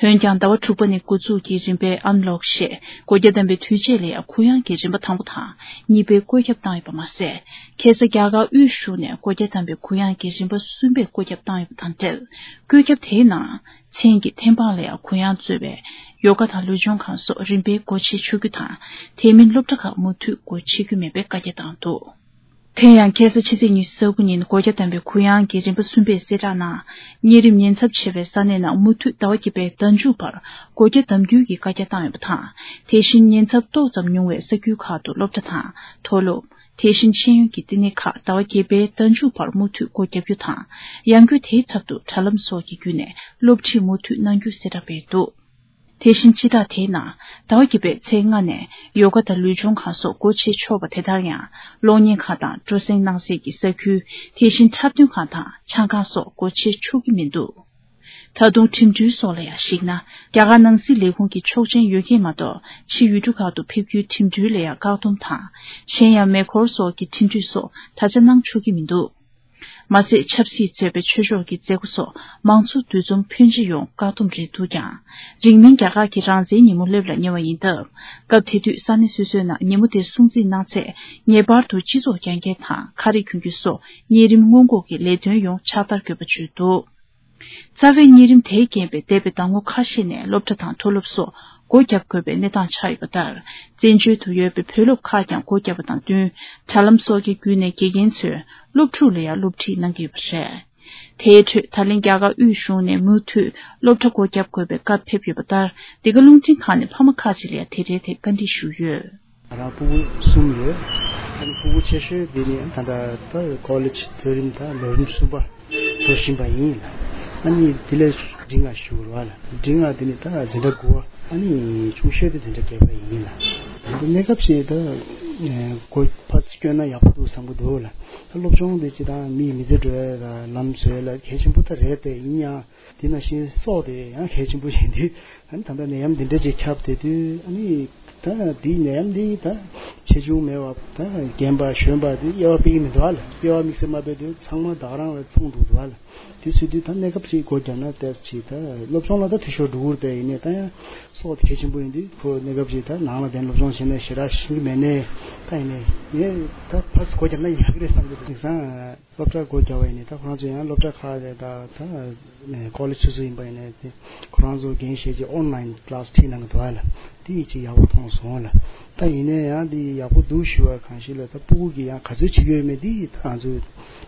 འོན་ཀྱང་ཟླ་བ་དྲུག་པ་ནས་འགོ་འཛུགས་ཀྱིས་རིམ་པས་ཨན་ལོག་ཞེས་སྒོ་རྒྱ་བསྡམས་པའི་དུས་ཆད་ལ་ཡང་གུ་ཡངས་ཀྱི་རིམ་པ་དང་པོ་དང་གཉིས་པའི་བཀོད་ཁྱབ་བཏང་ཡོད་པ་མ་ཟད། ཁ་སང་རྒྱ་གར་དབུས་གཞུང་ནས་སྒོ་རྒྱ་བསྡམས་པའི་གུ་ཡངས་ཀྱི་རིམ་པ་གསུམ་པའི་བཀོད་ཁྱབ་བཏང་ཡོད་པ་དང་འབྲེལ། བཀོད་ཁྱབ་དེའི་ནང་མཚན་གྱི་ཐེམ་སྤང་ལ་ཡང་གུ་ཡངས་གཙོས་པའི་ཡོ་ག་དང་ལུས་སྦྱོང་ཁང་སོགས་རིམ་པས་སྒོ་ཕྱེ་ཆོག་རྒྱུ་དང་། དེ་མིན་སློབ་གྲྭ་ཁག་མུ་མཐུད་སྒོ་ཕྱེ་རྒྱུ་མེད་པའི་བཀའ་རྒྱ་བཏང་འདུག། དེ་ཡང་ཁ་སང་ཕྱི་ཚེས་ཉི་ཤུ་རྩ་དགུ་ཉིན་སྒོ་རྒྱ་བསྡམས་པའི་གུ་ཡངས་ཀྱི་རིམ་པ་གསུམ་པའི་གསལ་བསྒྲགས་ནང་། གཉན་རིམས་ཉེན་ཚབས་ཆེ་བའི་ས་གནས་རྣམས་མུ་མཐུད་ཟླ་བ་བརྒྱད་པའི་ཟླ་མཇུག་བར་སྒོ་རྒྱ་བསྡམ་རྒྱུའི་གི་བཀའ་རྒྱ་བཏང་ཡོད་པ་དང་། དེ་བཞིན་ཉེན་ཚབས་ཏོག་ཙམ་ཉུང་བའི་ས་ཁུལ་ཁག་ཏུ་སློབ་གྲྭ་དང་མཐོ་སློབ། དེ་བཞིན་ཤེས་ཡོན་གྱི་བསྟི་གནས་ཁག་ཟླ་བ་བརྒྱད་པའི་ཟླ་མཇུག་བར་མུ་མཐུད་སྒོ་རྒྱག་རྒྱུ་དང་། ཡང་སྒོས་དེའི་ཚབ་ཏུ་དྲ་ལམ་སོགས་ཀྱི་བརྒྱུད་ནས་སློབ་ཁྲིད་མུ་མཐུད་གནང་རྒྱུ་གསལ་བསྒྲགས་སྤེལ་འདུག། དེ་བཞིན་སྤྱི་བསྒྲགས་དེའི་ནང་ཟླ་བ་བརྒྱད་པའི་ཚེས་ལྔ་ནས་ཡོ་ག་དང་ལུས་སྦྱོང་ཁང་སོགས་སྒོ་ཕྱེ་ཆོག་པ་དེ་ལྟར་ཡང་གློག་བརྙན་ཁང་དང་སྤྲོ་གསེང་གནང་སའི་གི་ས་ཁུལ། དེ་བཞིན་འཁྲབ་སྟོན་ཁང་དང་ཆང་ཁང་སོགས་སྒོ་ཕྱེ་ཆོག་གི་མི་འདུག་ད་དུང་ཁྲིམས་འགྲུལ་སོགས་ལ་ཡང་གཞིགས་ན། རྒྱ་གར་ནང་སྲིད་ལས་ཁུངས་ཀྱི་ཆོག་མཆན་ཡོད་མཁན་མ་གཏོགས་ཕྱི་ཡུལ་གྲུ་ཁག་ཏུ་ཕེབས་རྒྱུའི་ཁྲིམས་འགྲུལ་ལ་ཡང་བཀག་སྡོམ་དང་། གཞན་ཡང་མེ་འཁོར་སོགས་ཀྱི་ཁྲིམས་གཅོད་སོགས་ད་ཆ་གནང་ཆོག་གི་མི་འདུག་མ་ཟད་ཆབ་སྲིད་གཙོས་པའི་ཆོས་ཕྱོགས་ཀྱི་མཛད་སྒོ་སོགས་མང་ཚོགས་འདུ་འཛོམས་ཕོན་ཆེ་ཡོང་བཀག་སྡོམ་རེད་འདུག་ཀྱང་། རིང་མིན་རྒྱ་གར་གྱི་རང་བཙན་ཉིན་མོ་སླེབས་ལ་ཉེ་བ་ཡིན་སྟབས། སྐབས་དེ་དུས་ས་གནས་སོ་སོའི་ནང་ཉིན་མོ་དེ་སྲུང་བརྩི་གནང་ཚེ། ངེས་པར་དུ་སྤྱི་ཚོགས་རྒྱ་སྐྱེད་དང་ཁ་རས་གྱོན་རྒྱུ་སོགས་གཉན་རིམས་སྔོན་འགོག་གི་ལས་དོན་ཡོངས་ཕྱག་བསྟར་དགོས་པ་བརྗོད་འདུག་རྩ་བའི་གཉན་རིམས་དེའི་རྐྱེན་པས་འདས་པའི་ཟླ་ངོ་ཁ་ཤས་ནས་སློབ་གྲྭ་དང་མཐོ་སློབ་སོགས་སྒོ་བརྒྱབ་དགོས་པའི་གནས་སྟངས་ཆགས་ཡོད་པ་ལྟར། བཙན་བྱོལ་དུ་ཡོད་པའི་བོད་སློབ་ཁག་ཀྱང་སྒོ་བརྒྱབ་པ་དང་བསྟུན། དྲ་ལམ་སོགས་ཀྱི་བརྒྱུད་ནས་དགེ་རྒན་ཚོས་སློབ་ཕྲུག་ལ་ཡང་སློབ་ཁྲིད་གནང་གི་ཡོད་པ་རེད། དེའི་ཁྲོད་ད་ལན་རྒྱ་གར་དབུས་གཞུང་ནས་མུ་མཐུད་སློབ་གྲྭ་སྒོ་བརྒྱབ་དགོས་པའི་བཀའ་ཕེབས་ཡོད་པ་ལྟར། འདི་ག་རླུང་འཕྲིན་ཁང་ནས་ཕ་མ་ཁག་ཅིག་ལ་ཡང་དེ་འབྲེལ་ཐད་བཀའ་འདྲི་ཞུས་ཡོད། ང་རང་སྤུ་གུ་གསུམ་ཡོད། ཨ་ནི་སྤུ་གུ་ཆེ་ཤོས་དེ་ནི་ད་ལྟ་ད་ཀོ་ལེཇ་མཐོ་རིམ་དང་ལོ་རིམ་གསུམ་པ་འགྲོ་བཞིན་པ་ཡིན་ལ། ཨ་ནི་དེ་ལས་འབྲིང་བ་ཞུ་རོགས་ལ། འབྲིང་བ་དེ་ནི་ད་འཛིན་གྲྭ་དགུ་པ། ཨ་ནི་ཆུང་ཤོས་དེ་འཛིན་གྲྭ་བརྒྱད་པ་ཡིན་ལ། ད་ལྟ་གནས་སྐབས་ཤིག་ད་སྒོ་ཕར་སྐྱོན་ན་ཡག་པོ་འདུག་བསམ་གི་འདུག་ལ། ད་སློབ་སྦྱོང་དེ་སྤྱི་དང་མིའི་མི་ཚེ་འགྲོ་ཡ་ལ་ལམ་བཟོ་ཡ་ལ་གལ་ཆེན་པོ་ད་རེད་དེ། ཡིན་ཡང་དེ་ནང་བཞིན་སྲོག་དེ་ཡང་གལ་ཆེན་པོ་ཡིན་དུས། ཨ་ནི་ད་ལྟ་ནད་ཡམས་འདི་འདྲ་ཅིག་ཁྱབ་བསྡད་དུས། ཨ་ནི་ད་འདི་ནད་ཡམས་འདི་ད་ཆེ་ཆུང་མེད་པར་ད་རྒན་པ་གཞོན་པ་འདི་དབྱེ་བ་དཔེ་གི་མི་འདུག་ཨ་ལ། དབྱེ་བ་དམིགས་བསལ་མ་དཔེ་དུས་ཚང་མ་ད་ག་རང་ལ་མཚུངས་འདུག་འདུག་ཨ་ལ། དེ་ཟེར་དུས་ད་གནས་སྐབས་ཅིག་སྒོ་བརྒྱབ་ན་ཏོག་ཙམ་ཅིག་ད་སློབ་སྦྱོང་ལ་ད་འཐུས་ཤོར་འགྲོ་གི་རེད་དེ། ཡིན་ནའི་ད་ཡང་སྲོག་དེ་གལ་ཆེན་པོ་ཡིན་དུས། ཁོ་གནས་སྐབས་ཅིག་ད་ནང་ལ་བསྡད་ནས་སློབ་སྦྱོང་བྱས་ནས་ཞེ་དྲག་ཤེས་ཀྱི་མེད་ནའི། ད་ཡིན་ནའི་ངས་ད་ཕར་སྒོ་བརྒྱབ་ན་ཡག་གི་རེད་བསམ་གྱི་འདུག་དེང་སང་སློབ་གྲྭ་སྒོ་བརྒྱབ་པ་ཡིན་ནའི་ད་ཁོ་རང་ཚོ་ཡང་སློབ་གྲྭ་ཁག་རེད། ད་ད་ཀོ་ལེཇ་སོ་སོ་ཡིན་པ་ཡིན་ནའི་དེ་ཁོ་རང་ཚོ་འགན་བཞེས་བྱས་ཨོན་ལའིན་ཀི་ལ་སི་ཁྲིད་གནང་གི་འདུག་ཨ་ལ། དེ་ཡིན་ཅིག་ཡག་པོ་མཐོང་སོང་ལ། ད་ཡིན་ནའི་ཡང་དེ་ཡག་པོ་འདུག་ཞུ་བ་གང་ཞིག་ལ། ད་སྤུ་གུ་གིས་ཡང་ག་ཚོད་བྱེད་ཀྱི་ཡོད་མེད་དེ་ད་ང་ཚོ་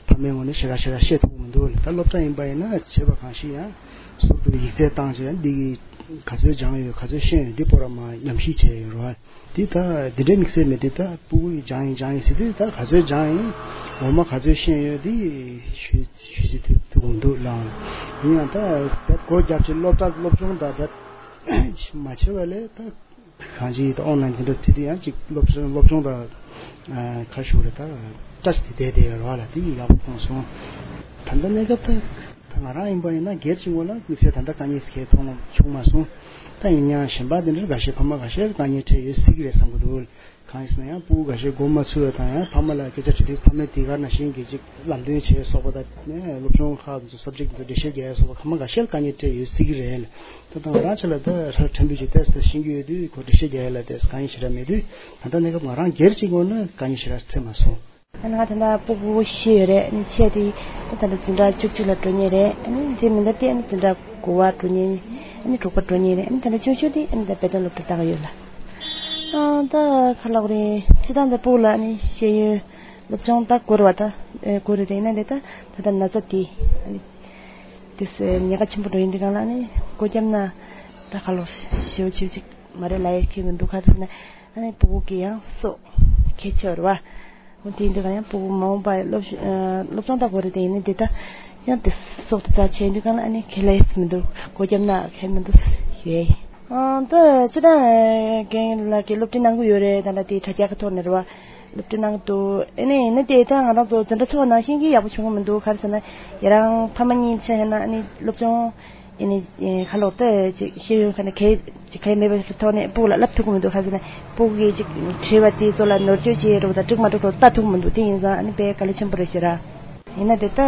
ཕ་མའི་ངོས་ནས་ཞེ་དྲག་ཞེ་དྲག་བཤད་ཐུབ་ཀྱི་མི་འདུག་ལ། ད་སློབ་གྲྭ་ཡིན་པ་ཡིན་ན་བྱས་པ་གང་ཞིག་ཡང་ཟུར་དུ་ཡིག་ཚད་བཏང་བྱས་འདི་གི་ག་ཚོད་སྦྱངས་ཡོད་ག་ཚོད་ཤེས་ཡོད་འདི་པོ་ར་མ་ཉམས་ཞིབ་བྱས་ཡོད་རེད་བ། འདི་ད་འདི་འདྲའི་དམིགས་བསལ་མེད་དུས། ད་སྤུ་གུ་ཡིས་སྦྱངས་ཡིན་སྦྱངས་ཡིན་ཟེར་དུས་ད་ག་ཚོད་སྦྱངས་ཡིན། འོ་མ་ག་ཚོད་ཤེས་ཡོད་འདི་ཞུ་ཞུ་ཅི་ཐུབ་ཐུབ་མི་འདུག་ལ། ཡིན་ཡང་ད་བེད་སྒོ་བརྒྱབ་ཅིག་སློབ་གྲྭ་སློབ་སྦྱོང་ད་བེད་མ་བྱས་པ་ལས་ད་གང་ཅི་ད་ཨོན་ལའིན་འཛིན་གྲྭ་ཁྲིད་དུས་ཡང་ཅིག་སློབ་སྦྱོང་སློབ་སྦྱོང་དང་ཁ་ཤུགས་རེ་ད་བཀྲ་ཤིས་དེ་བསྡད་བསྡད་ཡོད་རེད་བ་ལ། དེ་ཡག་པོ་མཐོང་སོང་། ད་ལྟ་གནས་སྐབས་ད་ད་ང་རང་ཡིན་པ་ཡིན་ན་སྒེར་གྱི་ངོས་ལ་དམིགས་བསལ་ད་ལྟ་དཀའ་ངལ་གང་མཐོང་བྱུང་མ་སོང་། ད་ཡིན་ཡང་གཞན་པ་དེ་འདྲ་འགའ་ཤས་ཕ་མ་འགའ་ཤས་དཀའ་ངལ་འཕྲད་ཡོད་སྲིད་ཀྱི་རེད་བསམ་གྱི་འདུག་གང་ཡིན་ཟེར་ན་ཡང་སྤུ་གུ་འགའ་ཤས་མགོ་མ་ཚོས་པ་དང་། ཡང་ཕ་མ་ལ་སྐད་ཆ་དྲིས་དུས་ཕ་མས་དེ་ག་ནང་བཞིན་གྱི་ཅིག་ལམ་སྟོན་བྱས་སོགས་པ་དང་། ནས་སློབ་སྦྱོང་ཁག་ཚོ་སབ་ཇེག་ཚོ་འགྲེལ་བཤད་རྒྱག་ཡ་སོགས་པ་ཕ་མ་འགའ་ཤས་དཀའ་ངལ་འཕྲད་ཡོད་སྲིད་ཀྱི་རེད། ད་ད་ང་རང་ཆ་ལ་ད་ཧྲ་ཕྲན་བུ་ཅིག་ཏོག་ཙམ་ཤེས་ཀྱི་ཡོད་དུས། ཁོ་འགྲེལ་བཤད་རྒྱག་ཡ་ལ་ཏོག་ཙམ་དཀའ་ངལ་ཞེ་དྲག་མེད་དུས། ད་ལྟ་གནས་སྐབས་ང་རང་སྒེར་གྱི་ངོས་ནས་དཀའ་ངལ་ཞེ་དྲག་འཕྲད་མ་སོང་། ཨ་ནི་ང་ད་ལྟ་སྤུ་གུ་བཞི་ཡོད་རེད། ཨ་ནི་ཆེ་དེ་ད་ལྟ་འཛིན་གྲྭ་བཅུ་གཅིག་ལ་འགྲོ་མཁན་རེད། ཨ་ནི་དེ་མིན་ད་དེ་ཨ་ནི་འཛིན་གྲྭ་དགུ་པ་འགྲོ་མཁན། ཨ་ནི་དྲུག་པ་འགྲོ་མཁན་རེད། ཨ་ནི་ད་ལྟ་ཆུང་ཤོས་དེ་ཨ་ནི་ད་དཔེ་སྟོན་སློབ་གྲྭ་ལྟ་གི་ཡོད་ལ། ཨ་ད་ག་ལབ་དགོས་རེད། སྤྱིར་བཏང་ད་སྤུ་གུ་ལ་ཨ་ནི་ཤེས་ཡོན་སློབ་སྦྱོང་ད་དགོས་རེད་བ། ད་ཨེ་དགོས་རེད་དེ། ཡིན་ན་ལས་ད་ད་ལྟ་ན་ཚ་དེ་ཨ་ནི་དེ་ཉེན་ཁ་ཆེན་པོ་འགྲོ་ཡིན་དུས་སྒང་ལ། ཨ་ནི་སྒོ་བརྒྱབ་ན་ད་ག་ལོག་ཞེ་པོ་ཆེ་ཅིག་མ་རེད་ལབ་ཡ་ཁེལ་མི་འདུག་ག་རེ་ཟེར་ན། ཨ་ནི་སྤུ་གུ་གི་ཡང་སྲོག་གལ་ཆེ་བ་རེད་བ། འོ་དེ་ཡིན་དུས་ག་ཡང་སྤུ་གུ་མ་འོངས་པ་སློབ་ཨ་སློབ་སྦྱོང་ད་དགོས་རེད་དེ། ཡིན་ནའི་དེ་ད་ཡང་དེ་སྲོག་དེ་ད་ཆེ་ཡིན་དུས་ག་ལ། ཨ་ནི་ཁེ་ལས་མི་འདུག་སྒོ་བརྒྱབ་ན་ཁེ་མི་འདུག་ཡོད། ཨ་ད་སྤྱིར་བཏང་རྒན་ལགས་ཀྱིས་སློབ་ཁྲིད་གནང་གི་ཡོད་རེད། ད་ལྟ་དེ་དྲ་རྒྱ་གི་ཐོག་ནས་རེད་བ། སློབ་ཁྲིད་གནང་གི་འདུག་ཨ་ནི་ཡིན་ན་དེ་ད་ང་རང་ཚོ་འཛིན་གྲྭ་ཚོགས་ནང་བཞིན་གྱི་ཡག་པོ་བྱུང་གི་མི་འདུག་ག་རེ་ཟེར་ན། ཡ་རང་ཕ་མ་གཉིས་ཆ་བཞག་ན་ཨ་ནི་སློབ་སྦྱོང་ཨ་ནི་ཁ་ལོག་ཏུ་ཅིག་ཤེས་ཡོན་ཁ་ནས་གལ་ཅིག་གལ་མེད་པའི་ཐོག་ནས་སྤུ་གུ་ལ་བསླབ་ཐུབ་ཀྱི་མི་འདུག་ག་རེ་ཟེར་ན། སྤུ་གུ་གིས་ཅིག་དྲིས་པ་དེ་ཚོ་ལ་ནོར་བཅོས་བྱེད་རོགས་དང་འགྲིག་མ་འགྲིག་རོགས་ལྟ་ཐུབ་ཀྱི་མི་འདུག་དེ་ཡིན་ཙང་ཨ་ནི་དཔེ་དཀའ་ལས་ཆེན་པོ་རེད་ཤག་ར། ཡིན་ན་དེ་ལྟ་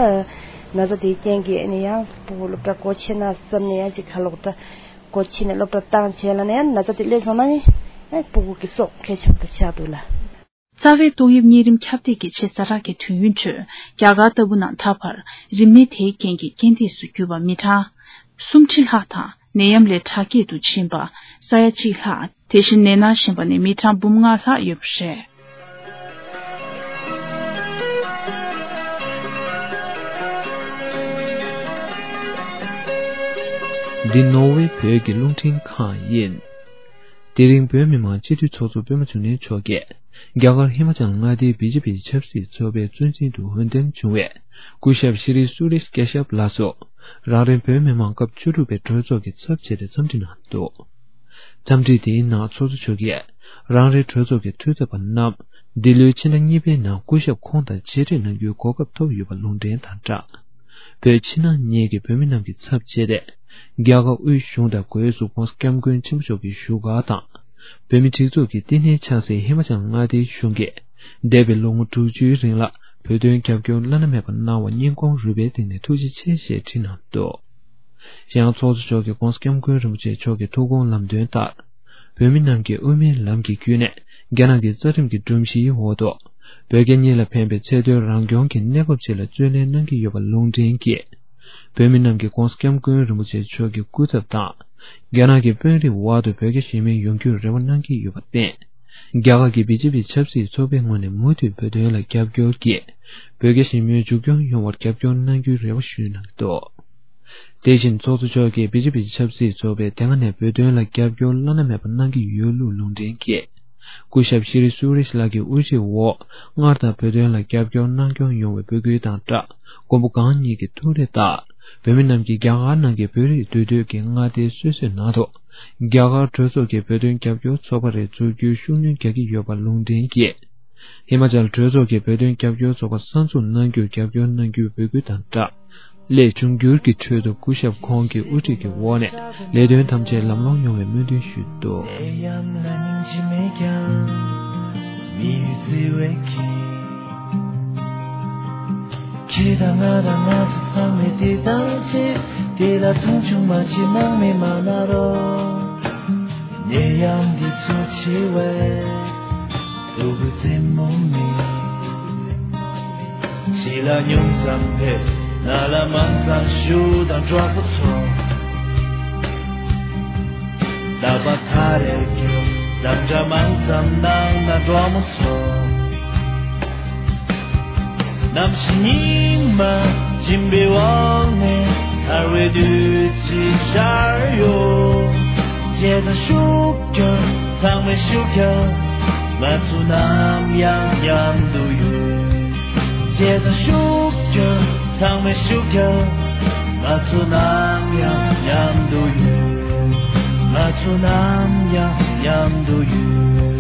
ན་ཚ་དེའི་རྐྱེན་གྱིས་ཨ་ནི་ཡང་སྤུ་གུ་སློབ་གྲྭ་སྒོ་ཕྱེ་ན་བསམ་ནས་ཡང་ཅིག་ཁ་ལོག་ད་སྒོ་ཕྱེ་ནས་སློབ་གྲྭ་བཏང་བྱས་ལ་ནས་ཡང་ན་ཚ་དེ་སླེབས་སོང་ན་ནི་ཨ་སྤུ་གུ་གི་སྲོག་གལ་ཆེན་པོ་ཆགས་འདུག་ལ། རྩ་བའི་ཏོག་དབྱིབས་གཉན་རིམས་ཁྱབ་གདལ་གྱི་ཆེས་ཛ་དྲག་གི་དུས་ཡུན་ཁྲོད་རྒྱ་གར་ལྟ་བུ་ནང་ད་བར་རིམས་ནད་དེའི་རྐྱེན་གྱིས་རྐྱེན་འདས་སུ་གྱུར་པ་མི་གྲངས་སུམ་ཁྲི་ལྷག་དང་། ནད་ཡམས་ལས་དྲག་སྐྱེད་དུ་ཕྱིན་པ་ས་ཡ་གཅིག་ལྷག་དེ་བཞིན་ནད་མནར་བཞིན་པ་ནི་མི་གྲངས་འབུམ་ལྔ་ལྷག་ཡོད་པ་རེད། འདི་ནོར་ཝེ་བོད་ཀྱི་རླུང་འཕྲིན་ཁང་ཡིན། དེ་རིང་བོད་མི་མང་སྤྱི་འཐུས་ཚོགས་གཙོ་སྤེན་པ་ཚུལ་ཁྲིམས་མཆོག་གིས་རྒྱ་གར་ཧི་མ་ཅལ་མངའ་སྡེའི་བི་ཇེ་པི་ཆབ་སྲིད་ཚོགས་པའི་གཙོ་འཛིན་དུ་འོས་འདེམས་བྱུང་བའི་སྐུ་ཞབས་ཤྲི་སུ་རེཤ་ཀེ་ཤབ་ལགས་སུ། རང་རེའི་བོད་མི་མང་སྐབས་བཅུ་དྲུག་པའི་གྲོས་ཚོགས་ཀྱི་ཚབ་བྱས་ཏེ་འཚམས་འདྲི་གནང་འདུག་འཚམས་འདྲི་དེའི་ནང་ཚོགས་གཙོ་མཆོག་གིས་རང་རེའི་གྲོས་ཚོགས་ཀྱི་འཐུས་ཚབ་པ་རྣམས་འདི་ལོའི་ཕྱི་ཟླ་གཉིས་པའི་ནང་སྐུ་ཞབས་ཁོང་དང་མཇལ་འཕྲད་གནང་རྒྱུའི་གོ་སྐབས་ཐོབ་ཡོད་པ་ལུང་འདྲེན་དང་སྦྲགས། བོད་ཕྱི་ནང་གཉིས་ཀྱི་བོད་མི་རྣམས་ཀྱི་ཚབ་བྱས་ཏེ། རྒྱ་གར་དབུས་གཞུང་དང་སྒོས་སུ་༸གོང་ས་༸སྐྱབས་མགོན་ཆེན་པོ་མཆོག་གི་བཞུགས་སྒར་དང་། བོད་མི་སྒྲིག་འཛུགས་ཀྱི་བསྟི་གནས་ཆགས་སའི་ཧི་མ་ཅལ་མངའ་སྡེའི་གཞུང་གིས། འདས་པའི་ལོ་ངོ་དྲུག་ཅུའི་རིང་ལ་བོད་དོན་རྒྱབ་སྐྱོར་བླ་ན་མེད་པ་གནང་བར་སྙིང་ཁོང་རུས་པའི་གཏིང་ནས་ཐུགས་རྗེ་ཆེ་ཞེས་བྲིས་གནང་འདུག། ཡང་ཚོགས་གཙོ་མཆོག་གིས་༸གོང་ས་༸སྐྱབས་མགོན་རིན་པོ་ཆེ་མཆོག་གི་ཐུགས་དགོངས་ལམ་སྟོན་ལྟར། བོད་མི་རྣམས་ཀྱིས་དབུ་མའི་ལམ་གྱི་བརྒྱུད་ནས་རྒྱ་ནག་གི་རྩ་ཁྲིམས་ཀྱི་སྒྲོམ་གཞིའི་འོག་ཏུ། བོད་རྒྱ་གཉིས་ལ་ཕན་པའི་ཚད་མཐོའི་རང་སྐྱོང་གི་གནས་བབ་ཅིག་ལ་བརྩོན་ལེན་གནང་གི་ཡོད་པ་ལུང་འདྲེན་གྱིས། བོད་མི་རྣམས་ཀྱིས་༸གོང་ས་༸སྐྱབས་མགོན་རིན་པོ་ཆེ་མཆོག་གི་སྐུ་ཚབ་དང་། རྒྱ་ནག་གི་དཔོན་རིགས་དབར་དུ་བོད་རྒྱ་ཞི་མོལ་ཡོང་རྒྱུར་རེ་བ་གནང་གི་ཡོད་པར་བརྟེན། རྒྱ་གར་གྱི་བི་ཇེ་པི་ཆབ་སྲིད་ཚོགས་པའི་ངོས་ནས་མུ་མཐུད་བོད་དོན་ལ་རྒྱབ་སྐྱོར་གྱིས། བོད་རྒྱ་ཞི་མོལ་མཇུག་སྐྱོང་ཡོང་བར་རྒྱབ་སྐྱོར་གནང་རྒྱུའི་རེ་བ་ཞུས་གནང་གི་འདུག། དེ་བཞིན་ཚོགས་གཙོ་མཆོག་གིས་བི་ཇེ་པི་ཆབ་སྲིད་ཚོགས་པས་དེ་སྔ་ནས་བོད་དོན་ལ་རྒྱབ་སྐྱོར་བླ་ན་མེད་པ་གནང་གི་ཡོད་ལུགས་ལུང་འདྲེན་གྱིས། སྐུ་ཞབས་ཤྲི་སུ་རེཤ་ལགས་ཀྱི་དབུ་ཁྲིད་འོག་སྔར་ལྟར་བོད་དོན་ལ་རྒྱབ་སྐྱོར་གནང་སྐྱོང་ཡོང་བའི་འབོད་སྐུལ་དང་སྦྲགས། མགོན་པོ་གང་ཉིད་ཀྱི་ཐུགས་རེ་ལྟར། བོད་མི་རྣམས་ཀྱིས་རྒྱ་གར་ནང་གི་བོད་རིགས་འདུས་སྡོད་ཀྱི་མངའ་སྡེ་སོ་སོའི་ནང་དུ། རྒྱ་གར་གྲོས་ཚོགས་ཀྱི་བོད་དོན་རྒྱབ་སྐྱོར་ཚོགས་པ་རེ་འཛུགས་རྒྱུའི་ཤུགས་སྣོན་རྒྱག་གི་ཡོད་པ་ལུང་འདྲེན་གྱིས། ཧི་མ་ཅལ་གྲོས་ཚོགས་ཀྱི་བོད་དོན་རྒྱབ་སྐྱོར་ཚོགས་པ་གསར་འཛུགས་གནང་རྒྱུར་རྒྱབ་སྐྱོར་གནང་རྒྱུའི་འབོད་སྐུལ་དང་སྦྲགས། སླད་འབྱུང་འགྱུར་གྱི་ཁྲོད་དུ་སྐུ་ཞབས་ཁོང་གི་དབུ་ཁྲིད་ཀྱི་འོག་ནས་ལས་དོན་ཐམས་ཅད་ལམ་ལྷོང་ཡོང་བའི་སྨོན་འདུན་ཞུས་འདུག། ཁྱེད་དང་ང་དང་ང་ཚོ་ཚང་མས་དེ་དང་ཆེ། དེ་ལ་མཐོང་ཆུང་མ་བྱེད་སྣང་མེད་མ་ན་རོ། ནད་ཡམས་འདི་ཚོ་ཆེ་བས། སྟོབས་རྩེ་མོ་མེད། ཕྱི་ལ་ཉུང་ཙམ་ཕེབས། ནང་ལ་མང་ཙམ་བཞུགས་དང་གྲོགས་པོ་ཚོ། རྟག་པར་ཁ་རེ་རྒྱོབ། འདང་འདྲ་མང་ཙམ་གནང་དང་གྲོགས་མོ་ཚོ། གནམ་གཤིས་ཉི་མ་སྦྱིན་པའི་འོག་ནས། ཐར་བའི་བདུད་རྩི་ཤར་ཡོང་། བྱས་ཙང་ཤུགས་རྒྱབ། ཚང་མས་ཤུགས་རྒྱབ། ང་ཚོ་ནམ་ཡང་མཉམ་དུ་ཡོད། བྱས་ཙང་ཤུགས་རྒྱབ། ཚང་མས་ཤུགས་རྒྱབ། ང་ཚོ་ནམ་ཡང་མཉམ་དུ་ཡོད། ང་ཚོ་ནམ་ཡང་མཉམ་དུ་ཡོད།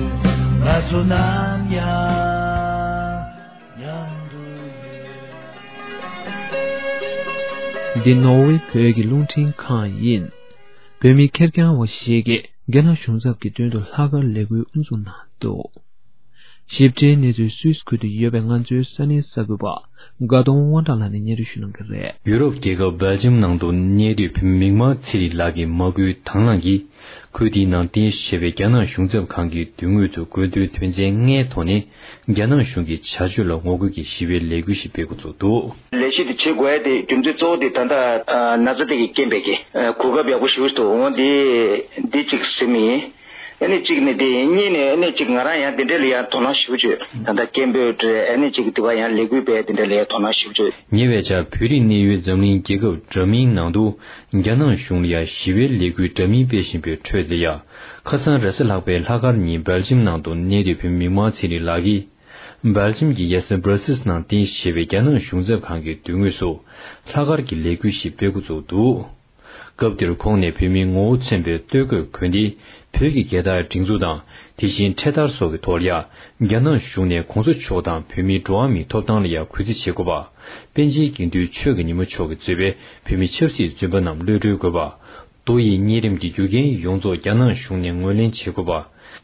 ང་ཚོ་ནམ་ཡང་མཉམ་དུ་ཡོད། འདི་ནོར་ཝེ་བོད་ཀྱི་རླུང་འཕྲིན་ཁང་ཡིན། བོད་མི་ཁེར་རྐྱང་བ་ཞིག་གིས་རྒྱ་ནག་གཞུང་ཚབ་ཀྱི་མདུན་དུ་ལྷག་དཀར་ལས་འགུལ་དབུ་འཛུགས་གནང་འདུག། ཞིབ་ཕྲའི་གནས་ཚུལ་སུད་སི་ཁུལ་དུ་ཡོད་པའི་ང་ཚོའི་ས་གནས་གསར་འགོད་པ་དགའ་གདོང་དབང་གྲགས་ལགས་ནས་སྙན་སྒྲོན་ཞུ་གནང་གི་རེད། ཡུ་རོབ་རྒྱལ་ཁབ་སྦེལ་ཇམ་ནང་དུ་གནས་སྡོད་བོད་མི་མིག་དམར་ཚེ་རིང་ལགས་ཀྱི་མ་བསྐུལ་དང་བླངས་ཀྱིས། ཁུལ་དེའི་ནང་རྟེན་གཞི་བྱས་པའི་རྒྱ་ནག་གཞུང་ཚབ་ཁང་གི་མདུན་ངོས་སུ་དགོས་འདུན་དོན་ཚན་ལྔའི་ཐོག་ནས་རྒྱ་ནག་གཞུང་གི་བྱ་སྤྱོད་ལ་ངོ་རྒོལ་གྱི་ཞི་བའི་ལས་འགུལ་ཞིག་སྤེལ་འགོ་བཙུགས་འདུག། ལས་གཞི་དེ་བྱེད་དགོས་ཡ་དེ་རྒྱུ་མཚན་གཙོ་བོ་དེ་ད་ལྟ་ན་ཚ་དེ་གི་རྐྱེན་པས་ཀྱི་གོ་སྐབས་ཡག་པོ་ཞེ་པོ་ཅིག་འདུག། འོ་འདི་འདི་གཅིག་ཟེར་མི་ཡིན། ཨ་ནི་གཅིག་ནི་དེ་ཡིན། གཉིས་ནི་ཨ་ནི་གཅིག་ང་རང་ཡང་དེ་འདྲ་ལ་ཡང་དོ་སྣང་ཞེ་པོ་ཅིག་ད་ལྟ་སྐད་འབོད་རེད། ཨ་ནི་གཅིག་དེ་བ་ཡང་ལས་འགུལ་སྤེལ་དེ་འདྲ་ལ་ཡང་དོ་སྣང་ཞེ་པོ་ཅིག། ཉེ་བའི་ཆར་བོད་རིགས་གནས་ཡུལ་འཛམ་གླིང་རྒྱལ་ཁབ་འདྲ་མིན་ནང་དུ་རྒྱ་ནག་གཞུང་ལ་ཡང་ཞི་བའི་ལས་འགུལ་འདྲ་མིན་སྤེལ་བཞིན་པའི་ཁྲོད་དུ་ཡང་ཁ་སང་རེས་གཟའ་ལྷག་པའི་ལྷག་དཀར་ཉིན་སྦེལ་ཇམ་ནང་དུ་གནས་སྡོད་བོད་མི་མིག་དམར་ཚེ་རིང་ལགས་ཀྱིས། སྦེལ་ཇམ་གྱི་ཡ་ས་སྦྲ་སིལ་ནང་རྟེན་གཞི་བྱས་པའི་རྒྱ་ནག་གཞུང་ཚབ་ཁང་གི་མདུན་ངོས་སུ་ལྷག་དཀར་གྱི་ལས་འགུལ་ཞིག་སྤེལ་འགོ་བཙུགས་འདུག། སྐབས་དེར་ཁོང་ནས་བོད་མིའི་ངོ་བོ་མཚོན་པའི་སྟོད་གོས་གོན་ཏེ། བོད་ཀྱི་རྒྱལ་དར་སྒྲེང་འཛུགས་དང་། དེ་བཞིན་འཕྲེད་དར་སོགས་ཀྱི་ཐོག་ལ་ཡང་རྒྱ་ནག་གཞུང་ནས་གོང་ས་མཆོག་དང་བོད་མིའི་འགྲོ་བ་མིའི་ཐོབ་ཐང་ལ་ཡང་གུས་བརྩི་བྱེད་དགོས་པ། པཎ་ཆེན་དགེ་འདུན་ཆོས་ཀྱི་ཉིན་མོ་མཆོག་གིས་གཙོས་པའི་བོད་མི་ཆབ་སྲིད་བཙོན་པ་རྣམས་གློད་གྲོལ་དགོས་པ། མདོ་ཡི་གཉན་རིམས་ཀྱི་རྒྱུ་རྐྱེན་ཡོངས་རྫོགས་རྒྱ་ནག་གཞུང་ནས་ངོས་ལེན་བྱེད་དགོས་པ།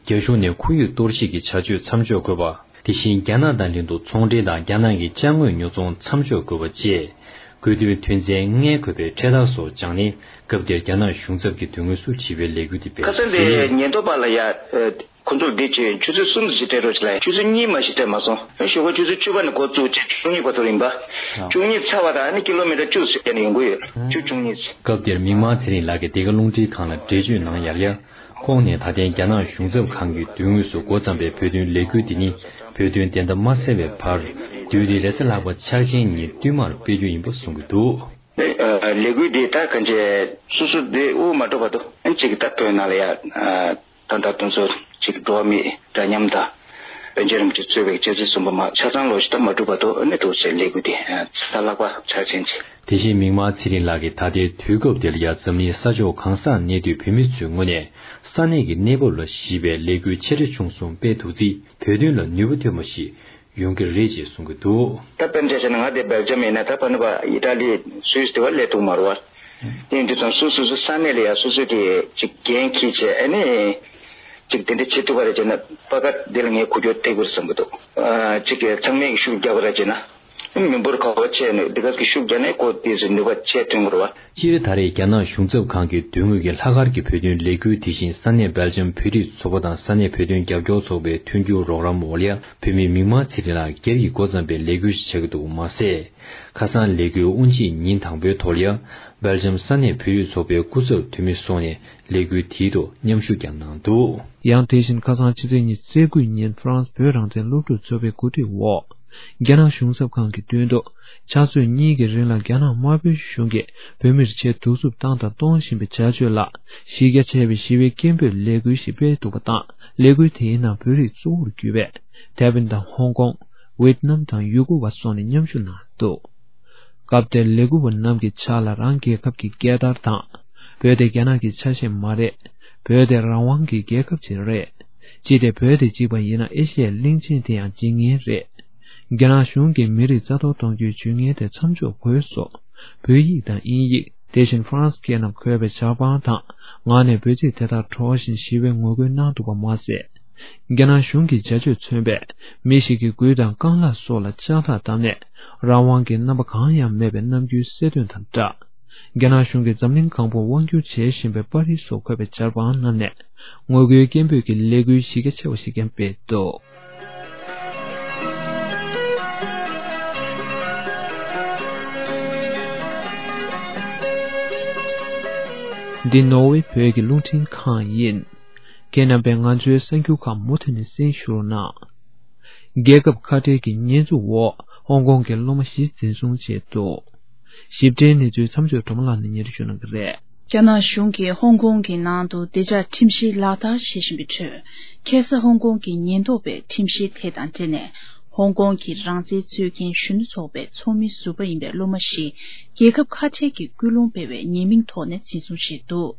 རྒྱ་གཞུང་ནས་ཁོར་ཡུག་གཏོར་བཤིག་གི་བྱ་སྤྱོད་མཚམས་འཇོག་དགོས་པ། དེ་བཞིན་རྒྱ་ནག་དང་ལྷན་དུ་ཚོང་འབྲེལ་དང་རྒྱ་ནག་གི་ཅ་དངོས་ཉོ་ཚོང་མཚམས་འཇོག་དགོས་པ་བཅས། དགོས་འདུན་དོན་ཚན་ལྔས་འཁོད་པའི་འཕྲེད་དར་སོགས་བཅངས་ནས། སྐབས་དེར་རྒྱ་ནག་གཞུང་ཚབ་ཀྱི་མདུན་ངོས་སུ་ཞི་བའི་ལས་འགུལ་དེ་སྤེལ། ཁ་སང་དེ་ཉེན་རྟོག་པ་ལ་ཡ། ཁོ་ཚོར་འདི་བྱས་ཆུ་ཚོད་གསུམ་ཙམ་ཞིག་སྤྲད་རོགས་བྱེད་ལ། ཆུ་ཚོད་གཉིས་མ་ཞིག་སྤྲད་མ་སོང་། ཞོགས་པ་ཆུ་ཚོད་བཅུ་པ་ནས་འགོ་བཙུགས་བྱས་བཅུ་གཉིས་བར་དུ་ཡིན་པ། བཅུ་གཉིས་ཚར་བ་དང་ཨ་ནི་ཀི་ལོ་མི་ཊར་བཅུ་ཙམ་ཡན་ཡོང་གི་ཡོད། བཅུ་བཅུ་གཉིས་ཙམ། སྐབས་དེར་མིག་དམར་ཚེ་རིང་ལགས་ཀྱིས་འདི་ག་རླུང་འཕྲིན་ཁང་ལ་འགྲེལ་བརྗོད་གནང་ཡར་ཡང་། ཁོང་ནས་ད་ཐེངས་རྒྱ་ནག་གཞུང་ཚབ་ཁང་གི་མདུན་ངོས་སུ་འགོ་བརྩམས་པའི་བོད་དོན་ལས་འགུལ་འདི་ནི་བོད་དོན་བདེན་མཐའ་མ་གསལ་བའི་བར། དུས་འདི་རེས་གཟའ་ལྷག་པ་འཆར་ཅན་ཉིན་བསྟུད་མར་སྤེལ་རྒྱུ་ཡིན་པ་གསུང་གི་འདུག། ལས་འགུལ་འདི་ད་གང་བྱས་སོ་སོ་འདི་དབུ་མ་འགྲོ་བར་དུ་ཨ་ནི་གཅིག་ད་བོད་ནང་ལ་ཡ། ད་ལྟ་དེ་ཚོ་གཅིག་འགྲོ་བ་མིའི་འདྲ་མཉམ་དང་། པཎ་ཆེན་རིན་པོ་ཆེ་གཙོས་པའི་སྤྱི་ཚོགས་གསུམ་པོ་མ་ཆ་ཚང་ལོ་ཞིག་ད་མ་གྲུབ་བར་དུ་ཨ་ནི་དེ་ཚོའི་ལས་འགུལ་དེ་རེས་གཟའ་ལྷག་པ་འཆར་ཅན་གྱི་ དེ་བཞིན་མིག་དམར་ཚེ་རིང་ལགས་ཀྱིས་ད་ལྟའི་དུས་སྐབས་འདི་ལ་ཡང་འཛམ་གླིང་ས་ཕྱོགས་གང་སར་གནས་སྡོད་བོད་མི་ཚོའི་ངོས་ནས་ས་གནས་ཀྱི་གནས་བབ་ལ་གཞིགས་པའི་ལས་འགུལ་ཆེ་ཕྲ་ཆུང་གསུམ་སྤེལ་ཐུབ་རྩིས་བོད་དོན་ལ་ནུས་པ་ཐོན་པ་ཞིག་ཡོང་གི་རེད་ཅེས་གསུང་གི་འདུག། ད་དཔེར་ན་ཆ་བཞག་ན་ང་དེ་སྦེལ་ཇམ་ཡིན་ན་ད་ཕ་ནི་བ་ཨི་ཏྲ་ལི་སུད་སི་དེ་བ་སླེབས་ཐུབ་མ་རེད་བ། དེ་ཡིན་དུས་ཙམ་སོ་སོ་སོ་ས་གནས་ལ་ཡང་སོ་སོའི་གི་ཅིག་འགན་འཁྱེར་བྱས་ཨ་ནི་ཅིག་དེ་འདྲ་བྱེད་ཐུབ་པ་རེད་ཅེ་ན་པ་ཀ་དེ་ལ་ངས་གོ་སྐྱོར་ཐེབས་ཀྱི་རེད་བསམ་གྱི་འདུག། ཨ་ཅིག་གི་ཚང་མས་ཀྱི་ཤུགས་རྒྱག་པ་རེད་ཅེ་ན། མི་འབོར་ག་བ་ཆེ་ནས་འདི་ག་གི་ཤུགས་རྒྱག་ནས་ཁོ་དེ་ཚོ་ནུས་པ་ཆེ་ཐོན་དགོས་རེད་བ། སྤྱིར་ད་རེས་རྒྱ་ནག་གཞུང་ཚབ་ཁང་གིས་མདུན་ངོས་ཀྱི་ལྷག་དཀར་གྱི་བོད་དོན་ལས་འགུལ་དེ་བཞིན་ས་གནས་སྦེལ་ཇམ་བོད་རིགས་ཚོགས་པ་དང་ས་གནས་བོད་དོན་རྒྱབ་སྐྱོར་ཚོགས་པའི་མཐུན་འགྱུར་རོགས་རམ་འོག་ལ་ཡང་བོད་མི་མིག་དམར་ཚེ་རིང་ལགས་སྒེར་གྱི་སྒོ་བརྩམས་པའི་ལས་འགུལ་ཞིག་བྱ་གི་འདུག་མ་ཟད། ཁ་སང་ལས་འགུལ་དབུ་འབྱེད་ཉིན་དང་པོའི་ཐོག་ལ་ཡང་སྦེལ་ཇམ་ས་གནས་བོད་རིགས་ཚོགས་པའི་སྐུ་ཚབ་འཐུས་མི་སོགས་ནས་ལས་འགུལ་དེའི་ཐོག་མཉམ་ཞུགས་ཀྱང་གནང་འདུག། ཡང་དེ་བཞིན་ཁ་སང་ཕྱི་ཚེས་ཉི་ཤུ་རྩ་དགུ་ཉིན་ཧྥ་རན་སི་བོད་རང་བཙན་སློབ་ཕྲུག་ཚོགས་པའི་གོ་སྒྲིག་འོག་རྒྱ་ནག་གཞུང་ཚབ་ཁང་གི་མདུན་དུ་ཕྱག་ཚོད་གཉིས་ཀྱི་རིང་ལ་རྒྱ་ནག་དམར་པོའི་གཞུང་གིས་བོད་མིར་ཆེས་གདུག་རྩུབ་བཏང་དང་གཏོང་བཞིན་པའི་བྱ་སྤྱོད་ལ་གཞི་རྒྱ་ཆེ་བའི་ཞི་བའི་སྐད་འབོད་ལས་འགུལ་ཞིག་སྤེལ་འདུག་པ་དང་། ལས་འགུལ་དེའི་ནང་བོད་རིགས་གཙོ་བོར་གྱུར་པའི་ཐའེ་ཝན་དང་ཧོང་ཀོང་། ཝེད་ནམ་དང་ཡུ་གུར་བ་སོགས་ནས་མཉམ་ཞུགས་གནང་འདུག། སྐབས་དེར་ལས་འགུལ་བ་རྣམས་ཀྱི་ཕྱག་ལ་རང་རྒྱལ་ཁབ་ཀྱི་རྒྱལ་དར་དང་། བོད་དེ་རྒྱ་ནག་གི་ཆ་ཤས་མ་རེད། བོད་དེ་རང་དབང་གི་རྒྱལ་ཁབ་ཅིག་རེད། ཅི་སྟེ་བོད་དེ་གཅིག་པ་ཡིན་ན་ཨེ་ཤི་ཡའི་གླིང་ཆེན་དེ་ཡང་འཇིག་ངེས་རེད། རྒྱ་ནག་གཞུང་གིས་མི་རིགས་རྩ་གཏོར་གཏོང་རྒྱུའི་ཇུས་ངན་དེ་མཚམས་འཇོག་དགོས་སོགས་བོད་ཡིག་དང་དབྱིན་ཡིག་དེ་བཞིན་ཧྥ་རན་སི་སྐད་རྣམས་འཁོད་པའི་ཇ་པན་དང་ངག་ནས་འབོད་ཚིག་དེ་དག་སྒྲོག་བཞིན་ཞི་བའི་ངོ་རྒོལ་གནང་འདུག་པ་མ་ཟད། རྒྱ་ནག་གཞུང་གི་བྱ་སྤྱོད་མཚོན་པས་མི་ཞིག་གི་མགུལ་དང་རྐང་ལག་སོགས་ལ་ལྕགས་ཐག་བསྡམས་ནས་རང་དབང་གི་རྣམ་པ་གང་ཡང་མེད་པའི་རྣམ་འགྱུར་གསལ་སྟོན་དང་སྦྲགས། རྒྱ་ནག་གཞུང་གིས་འཛམ་གླིང་གང་པོར་དབང་བསྒྱུར་བྱེད་བཞིན་པའི་པར་རིས་སོགས་འཁོད་པའི་ཇ་པན་རྣམས་ནས་ངོ་རྒོལ་སྐད་འབོད་ཀྱི་ལས་འགུལ་གཞི་རྒྱ་ཆེ་བ་ཞིག་ཀྱང་སྤེལ་འདུག། འདི་ནོར་ཝེ་བོད་ཀྱི་རླུང་འཕྲིན་ཁང་ཡིན། ཁྱེད་རྣམ་པས་ང་ཚོའི་གསར་འགྱུར་ཁག་མུ་མཐུད་ནས་གསན་ཞུ་རོགས་གནང་། རྒྱལ་ཁབ་ཁ་བྲལ་གྱི་ཉེས་འཛུགས་འོག་ཧོང་ཀོང་གི་སློབ་མ་བཞི་འཛིན་བཟུང་བྱས་འདུག། ཞིབ་ཕྲའི་གནས་ཚུལ་མཚམས་སྦྱོར་སྒྲོལ་མ་ལགས་ནས་སྙན་སྒྲོན་ཞུ་གནང་གི་རེད། རྒྱ་ནག་གཞུང་གིས་ཧོང་ཀོང་གི་ནང་དུ་བདེ་འཇགས་ཁྲིམས་གཞི་ལག་བསྟར་བྱེད་བཞིན་པའི་ཁྲོད། ཁ་སང་ཧོང་ཀོང་གི་ཉེན་རྟོག་པས་ཁྲིམས་གཞི་དེ་དང་འབྲེལ་ནས། ཧོང་ཀོང་གི་རང་བཙན་རྩོད་མཁན་གཞོན་ནུ་ཚོགས་པའི་ཚོགས་མི་ཟུར་པ་ཡིན་པའི་སློབ་མ་བཞི། རྒྱལ་ཁབ་ཁ་བྲལ་གྱི་སྐུལ་སློང་སྤེལ་བའི་ཉེས་མིང་ཐོག་ནས་འཛིན་བཟུང་བྱས་འདུག།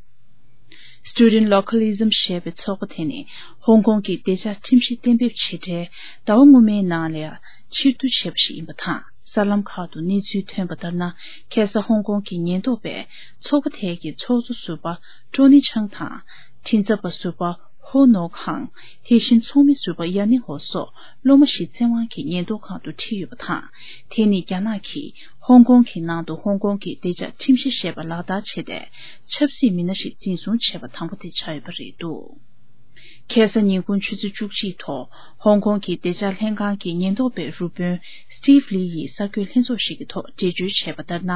Student Localism ཞེས་པའི་ཚོགས་པ་དེ་ནི་ཧོང་ཀོང་གི་བདེ་འཇགས་ཁྲིམས་གཞི་གཏན་འབེབས་བྱེད་གྲལ་ཟླ་བ་སྔོན་མའི་ནང་ལ་ཕྱིར་བསྡུ་བྱས་པ་ཞིག་ཡིན་པ་དང་། གསར་ལམ་ཁག་ཏུ་གནས་ཚུལ་ཐོན་པ་ལྟར་ན། ཁ་སང་ཧོང་ཀོང་གི་ཉེན་རྟོག་པས་ཚོགས་པ་དེ་གི་ཚོགས་གཙོ་ཟུར་པ་ཀྲོ་ནི་ཆང་དང་། འཕྲིན་ཚབ་པ་ཟུར་པ་ཧོ་ནོ་ཁང་། དེ་བཞིན་ཚོགས་མི་ཟུར་པ་ཡ་ནི་ཧོ་སོགས་སློབ་མ་བཞི་བཙན་དབང་གིས་ཉེན་རྟོག་ཁང་དུ་ཁྲིད་ཡོད་པ་དང་། དེ་ནི་རྒྱ་ནག་གིས་ཧོང་ཀོང་གི་ནང་དུ་ཧོང་ཀོང་གི་བདེ་འཇགས་ཁྲིམས་གཞི་ཞེས་པ་ལག་བསྟར་བྱས་ཏེ། ཆབ་སྲིད་མི་སྣ་ཞིག་འཛིན་བཟུང་བྱས་པ་དང་པོ་དེ་ཆགས་ཡོད་པ་རེད་འདུག། ཁ་སང་ཉིན་གུང་ཆུ་ཚོད་བཅུ་གཅིག་ཐོག་ཧོང་ཀོང་གི་བདེ་འཇགས་ལྷན་ཁང་གི་ཉེན་རྟོག་པའི་རུ་དཔོན་Steve Lee ཡིས་གསར་འགོད་ལྷན་ཚོགས་ཤིག་གི་ཐོག་འགྲེལ་བརྗོད་བྱས་པ་ལྟར་ན།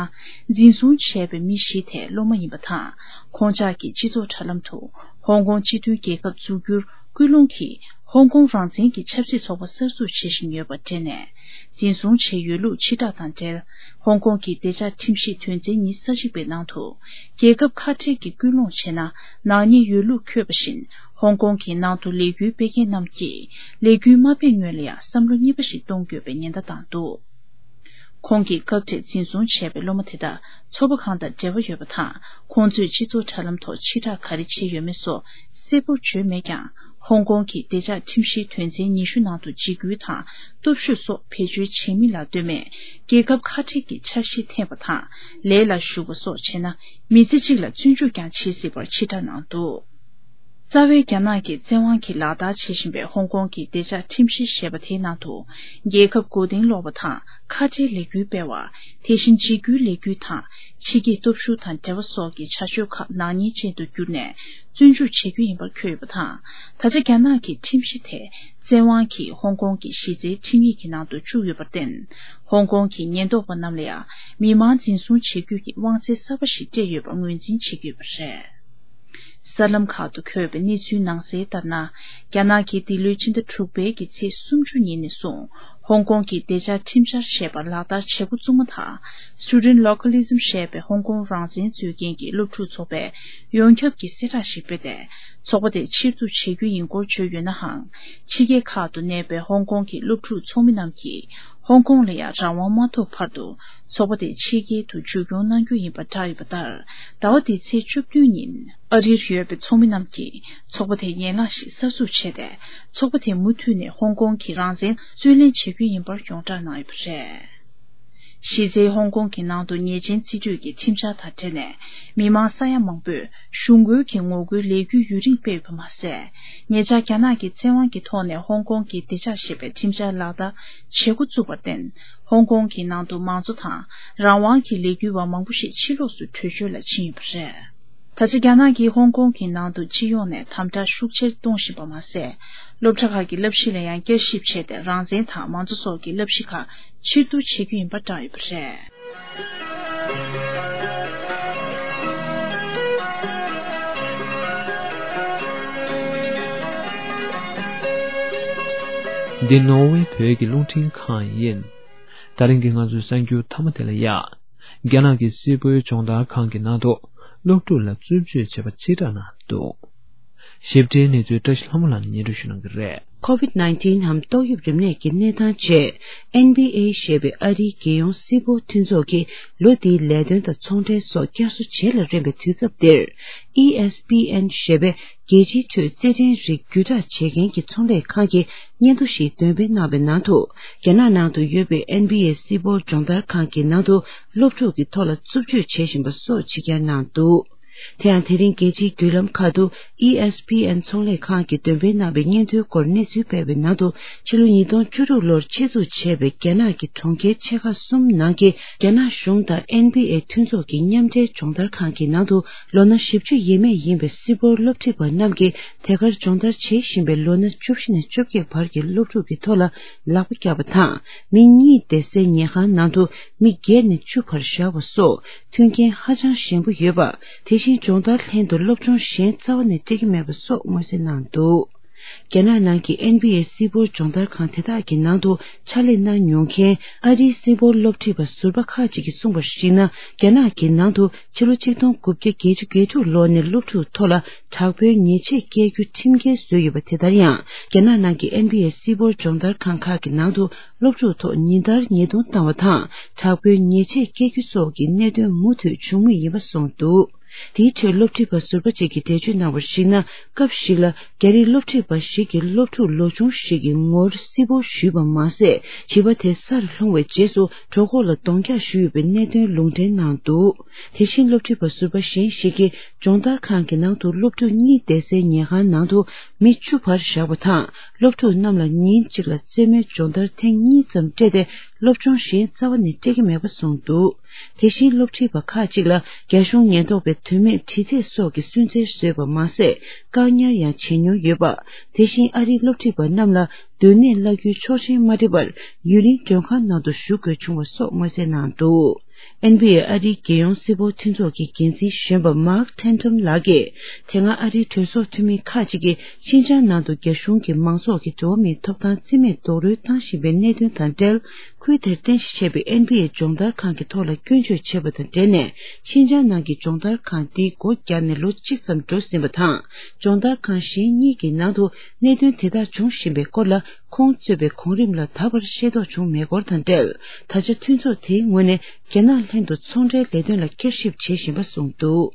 འཛིན་བཟུང་བྱས་པའི་མི་བཞི་དེ་སློབ་མ་ཡིན་པ་དང་། ཁོང་ཅག་གིས་སྤྱི་ཚོགས་དྲ་ལམ་དུ་ཧོང་ཀོང་སྤྱི་མཐུན་རྒྱལ་ཁབ་འཛུགས་རྒྱུར་སྐུལ་སློང་གིས་ཧོང་ཀོང་རང་བཙན་གྱི་ཆབ་སྲིད་ཚོགས་པ་གསར་འཛུགས་བྱེད་བཞིན་ཡོད་པ་འབྲེལ་ནས། འཛིན་བཟུང་བྱས་ཡོད་ལུགས་ཕྱིར་བསྒྲགས་དང་འབྲེལ། ཧོང་ཀོང་གི་བདེ་འཇགས་ཁྲིམས་གཞིའི་དོན་ཚན་ཉི་ཤུ་རྩ་གཅིག་པའི་ནང་དུ། རྒྱལ་ཁབ་ཁ་བྲལ་གྱི་སྐུལ་སློང་བྱས་ན་ནག་ཉེས་ཡོད་ལུགས་འཁོད་པ་བཞིན། ཧོང་ཀོང་གི་ནང་དུ་ལས་འགུལ་སྤེལ་མཁན་རྣམས་ཀྱིས་ལས་འགུལ་མ་སྤེལ་སྔོན་ལ་ཡང་བསམ་བློ་གཉིས་པ་ཞིག་གཏོང་དགོས་པའི་ཉེན་བརྡ་བཏང་འདུག། ཁོང་གིས་སྐབས་དེར་འཛིན་བཟུང་བྱས་པའི་སློབ་མ་དེ་དག་ཚོགས་པ་གང་དང་འབྲེལ་བ་ཡོད་པ་དང་། ཁོང་ཚོས་སྤྱི་ཚོགས་དྲ་ལམ་ཐོག་ཕྱིར་བསྒྲགས་ག་རེ་བྱས་ཡོད་མེད་སོགས་གསལ་པོར་བརྗོད་མེད་ཀྱང་། ཧོང་ཀོང་གི་བདེ་འཇགས་ཁྲིམས་གཞིའི་དོན་ཚན་ཉི་ཤུ་ནང་དུ་འཇིགས་སྐུལ་དང་སྟོབས་ཤུགས་སོགས་བེད་སྤྱོད་བྱེད་མིན་ལ་ལྟོས་མེད། རྒྱལ་ཁབ་ཁ་བྲལ་གྱི་འཆར་གཞི་འཐེན་པ་དང་། ལས་ལ་ཞུགས་པ་སོགས་བྱས་ན། མི་ཚེ་གཅིག་ལ་བཙོན་འཇུག་ཀྱང་བྱེད་སྲིད་པར་ཕྱིར་བསྒྲགས་གནང་འདུག། རྩ་བའི་རྒྱ་ནག་གི་བཙན་དབང་གིས་ལག་བསྟར་བྱེད་བཞིན་པའི་ཧོང་ཀོང་གི་བདེ་འཇགས་ཁྲིམས་གཞི་ཞེས་པ་དེའི་ནང་དུ། རྒྱལ་ཁབ་མགོ་རྟིང་སློག་པ་དང་ཁ་བྲལ་ལས་འགུལ་སྤེལ་བ། དེ་བཞིན་འཇིགས་སྐུལ་ལས་འགུལ་དང་ཕྱི་རྒྱལ་སྟོབས་ཤུགས་དང་འབྲེལ་བ་སོགས་ཀྱི་བྱ་སྤྱོད་ཁག་ནག་ཉེས་ཅན་དུ་གྱུར་ནས་བཙོན་འཇུག་བྱེད་རྒྱུ་ཡིན་པར་འཁོད་ཡོད་པ་དང་། ད་ཆ་རྒྱ་ནག་གི་ཁྲིམས་གཞི་དེ་བཙན་དབང་གིས་ཧོང་ཀོང་གི་གཞི་རྩའི་ཁྲིམས་ཡིག་གི་ནང་དུ་བཅུག་ཡོད་པར་བརྟེན། ཧོང་ཀོང་གི་ཉེན་རྟོག་པ་རྣམས་ལ་ཡང་མི་མང་འཛིན་བཟུང་བྱེད་རྒྱུ་གི་དབང་ཚད་གསར་པ་ཞིག་སྤྲད་ཡོད་པར་ངོས་འཛིན་བྱེད་ཀྱི་ཡོད་པ་རེད། གསར་ལམ་ཁག་ཏུ་འཁོད་པའི་གནས་ཚུལ་ནང་གསལ་ལྟར་ན། རྒྱ་ནག་གིས་འདི་ལོའི་ཕྱི་ཟླ་དྲུག་པའི་གི་ཚེས་སུམ་ཅུ་ཉིན་ནས་བཟུང་ཧོང་ཀོང་གི་བདེ་འཇགས་ཁྲིམས་འཆར་ཞེས་པ་ལག་བསྟར་བྱེད་འགོ་བཙུགས་མ་ཐག Student Localism ཞེས་པའི་ཧོང་ཀོང་རང་བཙན་རྩོད་མཁན་གྱི་སློབ་ཕྲུག་ཚོགས་པས་ཡོངས་ཁྱབ་ཀྱི་གསལ་བསྒྲགས་ཤིག་སྤེལ་ཏེ། ཚོགས་པ་དེ་ཕྱིར་བསྡུ་བྱེད་རྒྱུ་ཡིན་སྐོར་བརྗོད་ཡོད་ནའང་། ཕྱི་རྒྱལ་ཁག་ཏུ་གནས་པའི་ཧོང་ཀོང་གི་སློབ་ཕྲུག་ཚོགས་མི་རྣམས་ཀྱིས། ཧོང་ཀོང་ལ་ཡང་རང་དབང་མ་ཐོབ་བར་དུ་ཚོགས་པ་དེ་ཕྱི་རྒྱལ་དུ་བཅོས་སྐྱོང་གནང་རྒྱུ་ཡིན་པ་བསྒྲགས་ཡོད་པ་ལྟར། ཟླ་བ་འདིའི་ཚེས་བཅུ་བདུན་ཉིན་ཨ་རིར་ཡོད་པའི་ཚོགས་མི་རྣམས་ཀྱིས་ཚོགས་པ་དེ་ཡན་ལག་བཞི་གསར་འཛུགས་བྱས་ཏེ། ཚོགས་པ་དེ་མུ་མཐུད་ནས་ཧོང་ཀོང་གི་རང་བཙན་རྩོད་ལེན་བྱེད་རྒྱུ་ཡིན་པར་ཡོངས་བསྒྲགས་གནང་ཡོད་པ་རེད། གཞི་རྩའི་ཧོང་ཀོང་གི་ནང་དུ་ཉེས་ཅན་རྩིས་སྤྲོད་ཀྱི་ཁྲིམས་འཆར་དང་འབྲེལ་ནས། མི་མང་ས་ཡ་མང་པོས་གཞུང་རྒོལ་གྱི་ངོ་རྒོལ་ལས་འགུལ་ཡུན་རིང་སྤེལ་ཡོད་པ་མ་ཟད། ཉེ་ཆར་རྒྱ་ནག་གི་བཙན་དབང་གི་ཐོག་ནས་ཧོང་ཀོང་གི་བདེ་འཇགས་ཞེས་པའི་ཁྲིམས་འཆར་ལག་བསྟར་བྱེད་འགོ་བཙུགས་པར་བརྟེན། ཧོང་ཀོང་གི་ནང་དུ་མང་གཙོ་དང་རང་དབང་གི་ལས་འགུལ་བ་མང་པོ་ཞིག་ཕྱི་ལོགས་སུ་བྲོས་བྱོལ་ལ་ཕྱིན་ཡོད་པ་རེད། ད་ཆ་རྒྱ་ནག་གིས་ཧོང་ཀོང་གི་ནང་དུ་སྤྱི་ཡོངས་ནས་དམ་དྲག་ཤུགས་ཆེར་གཏོང་བཞིན་པ་མ་ཟད། སློབ་གྲྭ་ཁག་གི་བསླབ་གཞི་ལ་ཡང་བསྐྱར་ཞིབ་བྱས་ཏེ། རང་བཙན་དང་མང་གཙོ་སོགས་ཀྱི་བསླབ་གཞི་ཁག་ཕྱིར་བསྡུ་བྱེད་རྒྱུ་ཡིན་པ་བསྒྲགས་ཡོད་པ་རེད། འདི་ནོར་ཝེ་བོད་ཀྱི་རླུང་འཕྲིན་ཁང་ཡིན། ད་རིང་གི་ང་ཚོའི་གསར་འགྱུར་མཐའ་མ་དེ་ལ་ཡ། རྒྱ་ནག་གི་སིལ་བུའི་སྦྱོང་བརྡར་ཁང་གི་ནང་དུ་སློབ་ཕྲུག་ལ་རྩུབ་སྤྱོད་བྱས་པ་ཕྱིར་བསྒྲགས་གནང་འདུག། ཞིབ་ཕྲའི་གནས་ཚུལ་བཀྲ་ཤིས་ལྷ་མོ་ལགས་ནས་སྙན་སྒྲོན་ཞུ་གནང་གི་རེད། ཁོ་ཝིད་ནའིན་ཊིན་ནམ་ཏོག་དབྱིབས་རིམས་ནད་ཀྱི་གནས་སྟངས་བཅས། ཨེན་བྷི་ཨེ་ཞེས་པའི་ཨ་རིའི་རྒྱལ་ཡོངས་སིལ་བུ་མཐུན་ཚོགས་ཀྱིས་ལོ་འདིའི་ལས་དོན་དང་ཚོང་འབྲེལ་སོགས་བསྐྱར་གསོ་བྱེད་ལ་རན་པའི་དུས་སྐབས་འདིར། ཨི་ཨེས་པི་ཨེན་ཞེས་པའི་རྒྱལ་སྤྱིའི་ཁྲོད་རྩེད་འགྲན་རིགས་བརྒྱུད་བསྒྲགས་བྱེད་མཁན་གྱི་ཚོང་ལས་ཁང་གིས་སྙན་ཐོ་ཞིག་འདོན་སྤེལ་གནང་བའི་ནང་དུ། རྒྱ་ནག་ནང་དུ་ཡོད་པའི་ཨེན་བྷི་ཨེ་སིལ་བུ་སྦྱོང་བརྡར་ཁང་གི་ནང་དུ་སློབ་ཕྲུག་གི་ཐོག་ལ་རྩུབ་སྤྱོད་བྱེད་བཞིན་པ་སོགས་ཕྱི་གྱར་གནང་འདུག། དེ་ཡང་དེ་རིང་རྒྱལ་སྤྱིའི་བརྒྱུད་ལམ་ཁག་ཏུ་ཨི་ཨེས་པི་ཨེན་ཚོང་ལས་ཁང་གིས་འདོན་སྤེལ་གནང་བའི་སྙན་ཐོའི་སྐོར་གནས་ཚུལ་སྤེལ་བའི་ནང་དུ། ཕྱི་ལོ་ཉིས་སྟོང་བཅུ་དྲུག་ལོར་ཆེད་འཛུགས་བྱས་པའི་རྒྱ་ནག་གི་གྲོང་ཁྱེར་ཆེ་ཁག་གསུམ་ནང་གི་རྒྱ་ནག་གཞུང་དང་ཨེན་བྷི་ཨེ་མཐུན་ཚོགས་ཀྱི་མཉམ་འབྲེལ་སྦྱོང་བརྡར་ཁང་གི་ནང་དུ། ལོ་ན་བཞི་བཅུ་ཡས་མས་ཡིན་པའི་སིལ་བུར་སློབ་ཁྲིད་པ་རྣམས་ཀྱིས་དེ་གར་སྦྱོང་བརྡར་བྱེད་བཞིན་པའི་ལོ་ན་བཅུ་བཞི་ནས་བཅོ་བརྒྱད་བར་གྱི་སློབ་ཕྲུག་གི་ཐོག་ལ་ལག་པ་བཀྱགས་པ་དང་། མི་གཉིས་བསྡད་སའི་ཉལ་ཁང་ནང་དུ་མི་བརྒྱད་ནས་བཅུ་བར་བཞག་པ་སོགས་མཐུན་རྐྱེན་ཧ་ཅང་ཞན་པོ་ཡོད་པ། དེ་བཞིན་སྦྱོང་བརྡར་ལྷན་དུ་སློབ་སྦྱོང་གཞན་རྩ་བ་ནས་སྤྲད་ཀྱི་མེད་པ་སོགས་མངོན་གསལ་གནང་འདུག། རྒྱ་ནག་ནང་གི་ཨེན་བྷི་ཨེ་སིལ་བུར་སྦྱོང་བརྡར་ཁང་དེ་དག་གི་ནང་དུ་ཕྱག་ལས་གནང་མྱོང་མཁན་ཨ་རིའི་སིལ་བུར་སློབ་ཁྲིད་པ་ཟུར་པ་ཁག་ཅིག་གིས་གསུངས་པར་གཞིགས་ན། རྒྱ་ནག་གི་ནང་དུ་ཕྱི་ལོ་ཆིག་སྟོང་དགུ་བརྒྱ་བརྒྱད་ཅུ་གྱ་དྲུག་ལོ་ནས་སློབ་ཕྲུག་ཐོག་ལ་དྲག་པོའི་ཉེས་ཆད་བཀལ་རྒྱུ་ཁྲིམས་འགལ་བཟོས་ཡོད་པ། དེ་ལྟར་ཡང་རྒྱ་ནག་ནང་གི་ཨེན་བྷི་ཨེ་སིལ་བུར་སྦྱོང་བརྡར་ཁང་ཁག་གི་ནང་དུ་སློབ་ཕྲུག་ཐོག་ཉིན་ལྟར་ཉེས་རྡུང་བཏང་བ་དང་། དྲག་པོའི་ཉེས་ཆད་བཀལ་རྒྱུ་སོགས་ཀྱི་གནད་དོན་མུ་མཐུད་བྱུང་མུས་ཡིན་པ་གསུངས་འདུག། དེའི་ཁྲོད་སློབ་ཁྲིད་པ་ཟུར་པ་ཅིག་གིས་འགྲེལ་བརྗོད་གནང་བར་གཞིགས་ན། སྐབས་ཤིག་ལ་རྒྱ་རིགས་སློབ་ཁྲིད་པ་ཞིག་གིས་སློབ་ཕྲུག་ལོ་ཆུང་ཞིག་གི་ངོར་སིལ་བུར་གཞུས་པ་མ་ཟད། བྱིས་པ་དེ་སར་ལྷུང་བའི་རྗེས་སུ་གྲོད་ཁོག་ལ་གདོང་རྒྱག་ཞུས་ཡོད་པའི་གནད་དོན་ལུང་འདྲེན་གནང་འདུག། དེ་བཞིན་སློབ་ཁྲིད་པ་ཟུར་པ་གཞན་ཞིག་གིས་སྦྱོང་བརྡར་ཁང་གི་ནང་དུ་སློབ་ཕྲུག་གཉིས་བསྡད་སའི་ཉལ་ཁང་ནང་དུ་མི་བཅུ་བར་བཞག་པ་དང་། སློབ་ཕྲུག་རྣམས་ལ་ཉིན་གཅིག་ལ་རྩེད་མོའི་སྦྱོང་བརྡར་ཐེངས་གཉིས་ཙམ་སྤྲད་དེ། སློབ་སྦྱོང་གཞན་རྩ་བ་ནས་སྤྲད་ཀྱི་མེད་པ་གསུངས་འདུག། དེ་བཞིན་སློབ་ཁྲིད་པ་ཁག་ཅིག་ལ་རྒྱ་གཞུང་ཉེན་རྟོག་པས་དོན་མེད་དྲི་རྩད་སོགས་ཀྱི་སུན་གཙེར་བཟོས་པ་མ་ཟད། བཀག་ཉར་ཡང་བྱེད་མྱོང་ཡོད་པ། དེ་བཞིན་ཨ་རིའི་སློབ་ཁྲིད་པ་རྣམས་ལ་སྡོད་གནས་གླ་རྒྱུའི་ཆོག་མཆན་མ་སྤྲད་པར་ཡུན་རིང་མགྲོན་ཁང་ནང་དུ་བཞུགས་དགོས་བྱུང་བ་སོགས་མངོན་གསལ་གནང་འདུག། ཨེན་བྷི་ཨེ་ཨ་རིའི་རྒྱལ་ཡོངས་སིལ་བུར་མཐུན་ཚོགས་ཀྱི་འགན་འཛིན་གཞོན་པ་མཱག་ཐན་ཐམ་ལགས་ཀྱིས། དེ་སྔ་ཨ་རིའི་གྲོས་ཚོགས་འཐུས་མི་ཁག་ཅིག་གིས་ཤིན་ཅང་ནང་དུ་རྒྱ་གཞུང་གིས་མང་ཚོགས་ཀྱི་འགྲོ་བ་མིའི་ཐོབ་ཐང་རྩིས་མེད་རྡོག་རོལ་བཏང་བཞིན་པའི་གནད་དོན་དང་འབྲེལ། ཁུལ་དེར་རྟེན་གཞི་བྱས་པའི་ཨེན་བྷི་ཨེ་སྦྱོང་བརྡར་ཁང་གི་ཐོག་ལ་སྐྱོན་བརྗོད་བྱས་པ་དང་འབྲེལ་ནས། ཤིན་ཅང་ནང་གི་སྦྱོང་བརྡར་ཁང་འདི་སྒོ་བརྒྱབ་ནས་ལོ་གཅིག་ཙམ་འགྲོ་ཟིན་པ་དང་། སྦྱོང་བརྡར་ཁང་གཞན་གཉིས་ཀྱི་ནང་དུ་གནད་དོན་དེ་དག་འབྱུང་བཞིན་པའི་སྐོར་ལ། ཁོང་གཙོས་པའི་གོང་རིམ་ལ་ད་བར་ཤེས་རྟོགས་བྱུང་མེད་སྐོར་དང་འབྲེལ། ད་ཆ་མཐུན་ཚོགས་དེའི་ངོས་ནས་རྒྱ་ནག་ལྷན་དུ་ཚོང་འབྲེལ་ལས་དོན་ལ་བསྐྱར་ཞིབ་བྱེད་བཞིན་པ་གསུངས་འདུག།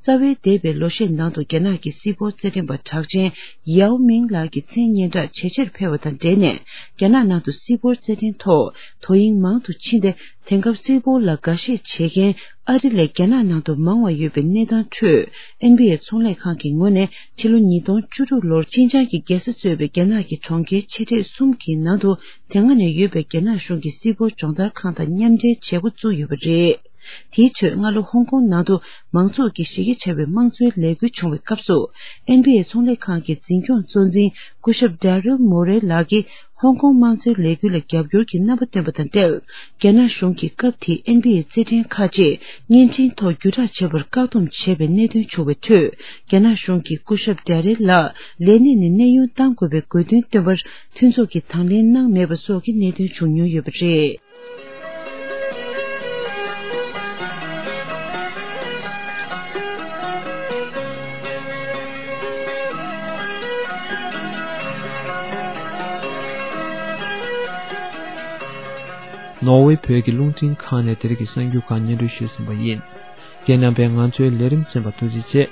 རྩ་བའི་འདས་པའི་ལོ་ཤས་ནང་དུ་རྒྱ་ནག་གི་སིལ་བུར་རྩེད་འགྲན་པ་གྲགས་ཅན་ཡའོ་མིང་ལགས་ཀྱི་མཚན་སྙན་གྲགས་ཇེ་ཆེར་འཕེལ་བ་དང་འབྲེལ་ནས། རྒྱ་ནག་ནང་དུ་སིལ་བུར་རྩེད་འགྲན་ཐོག་དོ་དབྱིངས་མང་དུ་ཕྱིན་ཏེ། དེང་སྐབས་སིལ་བུར་ལ་དགའ་ཞེན་བྱེད་མཁན་ཨ་རི་ལས་རྒྱ་ནག་ནང་དུ་མང་བ་ཡོད་པའི་གནས་སྟངས་ཁྲོད། ཨེན་བྷི་ཨེ་ཚོང་ལས་ཁང་གི་ངོས་ནས་ཕྱི་ལོ་ཉིས་སྟོང་བཅུ་དྲུག་ལོར་ཤིན་ཅང་གི་རྒྱལ་ས་གཙོས་པའི་རྒྱ་ནག་གི་གྲོང་ཁྱེར་ཆེ་གྲས་གསུམ་གྱི་ནང་དུ། དེ་སྔ་ནས་ཡོད་པའི་རྒྱ་ནག་གཞུང་གི་སིལ་བུར་སྦྱོང་བརྡར་ཁང་དང་མཉམ་འབྲེལ་བྱེད་འགོ་བཙུགས་ཡོད་པ་རེད། དེའི་ཁྲོད་སྔ་ལོ་ཧོང་ཀོང་ནང་དུ་མང་ཚོགས་ཀྱི་གཞི་རྒྱ་ཆེ་བའི་དམངས་གཙོའི་ལས་འགུལ་བྱུང་བའི་སྐབས་སུ། ཨེན་བྷི་ཨེ་ཚོང་ལས་ཁང་གི་འཛིན་སྐྱོང་གཙོ་འཛིན་སྐུ་ཞབས་ཌེ་རིལ་མོ་རེ་ལགས་ཀྱིས། ཧོང་ཀོང་དམངས་གཙོའི་ལས་འགུལ་ལ་རྒྱབ་སྐྱོར་གྱི་རྣམ་པ་བཏོན་པ་དང་འབྲེལ། རྒྱ་ནག་གཞུང་གིས་སྐབས་དེའི་ཨེན་བྷི་ཨེ་རྩེད་འགྲན་ཁག་ཅིག་བརྙན་འཕྲིན་ཐོག་བརྒྱུད་བསྒྲགས་བྱེད་པར་བཀག་སྡོམ་བྱས་པའི་གནད་དོན་བྱུང་བའི་ཁྲོད། རྒྱ་ནག་གཞུང་གིས་སྐུ་ཞབས་ཌེ་རེ་ལགས་ལས་གནས་ནས་གནས་དབྱུང་གཏང་དགོས་པའི་དགོས་འདུན་བཏོན་པར་མཐུན་ཚོགས་ཀྱིས་དང་ལེན་གནང་མེད་པ་སོགས་ཀྱི་གནད་དོན་བྱུང་མྱོང་ཡོད་པ་རེད། ནོར་ཝེ་བོད་ཀྱི་རླུང་འཕྲིན་ཁང་ནས་དེ་རིང་གི་གསར་འགྱུར་ཁག་སྙན་སྒྲོན་ཞུས་ཟིན་པ་ཡིན། ཁྱེད་རྣམ་པས་ང་ཚོའི་ལས་རིམ་གསན་པར་ཐུགས་རྗེ་ཆེ།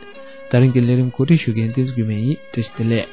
ད་རིང་གི་ལས་རིམ་གོ་སྒྲིག་ཞུ་མཁན་བསྟན་འཛིན་རྒྱུད་སྨད་ཡིན། བཀྲ་ཤིས་བདེ་ལེགས།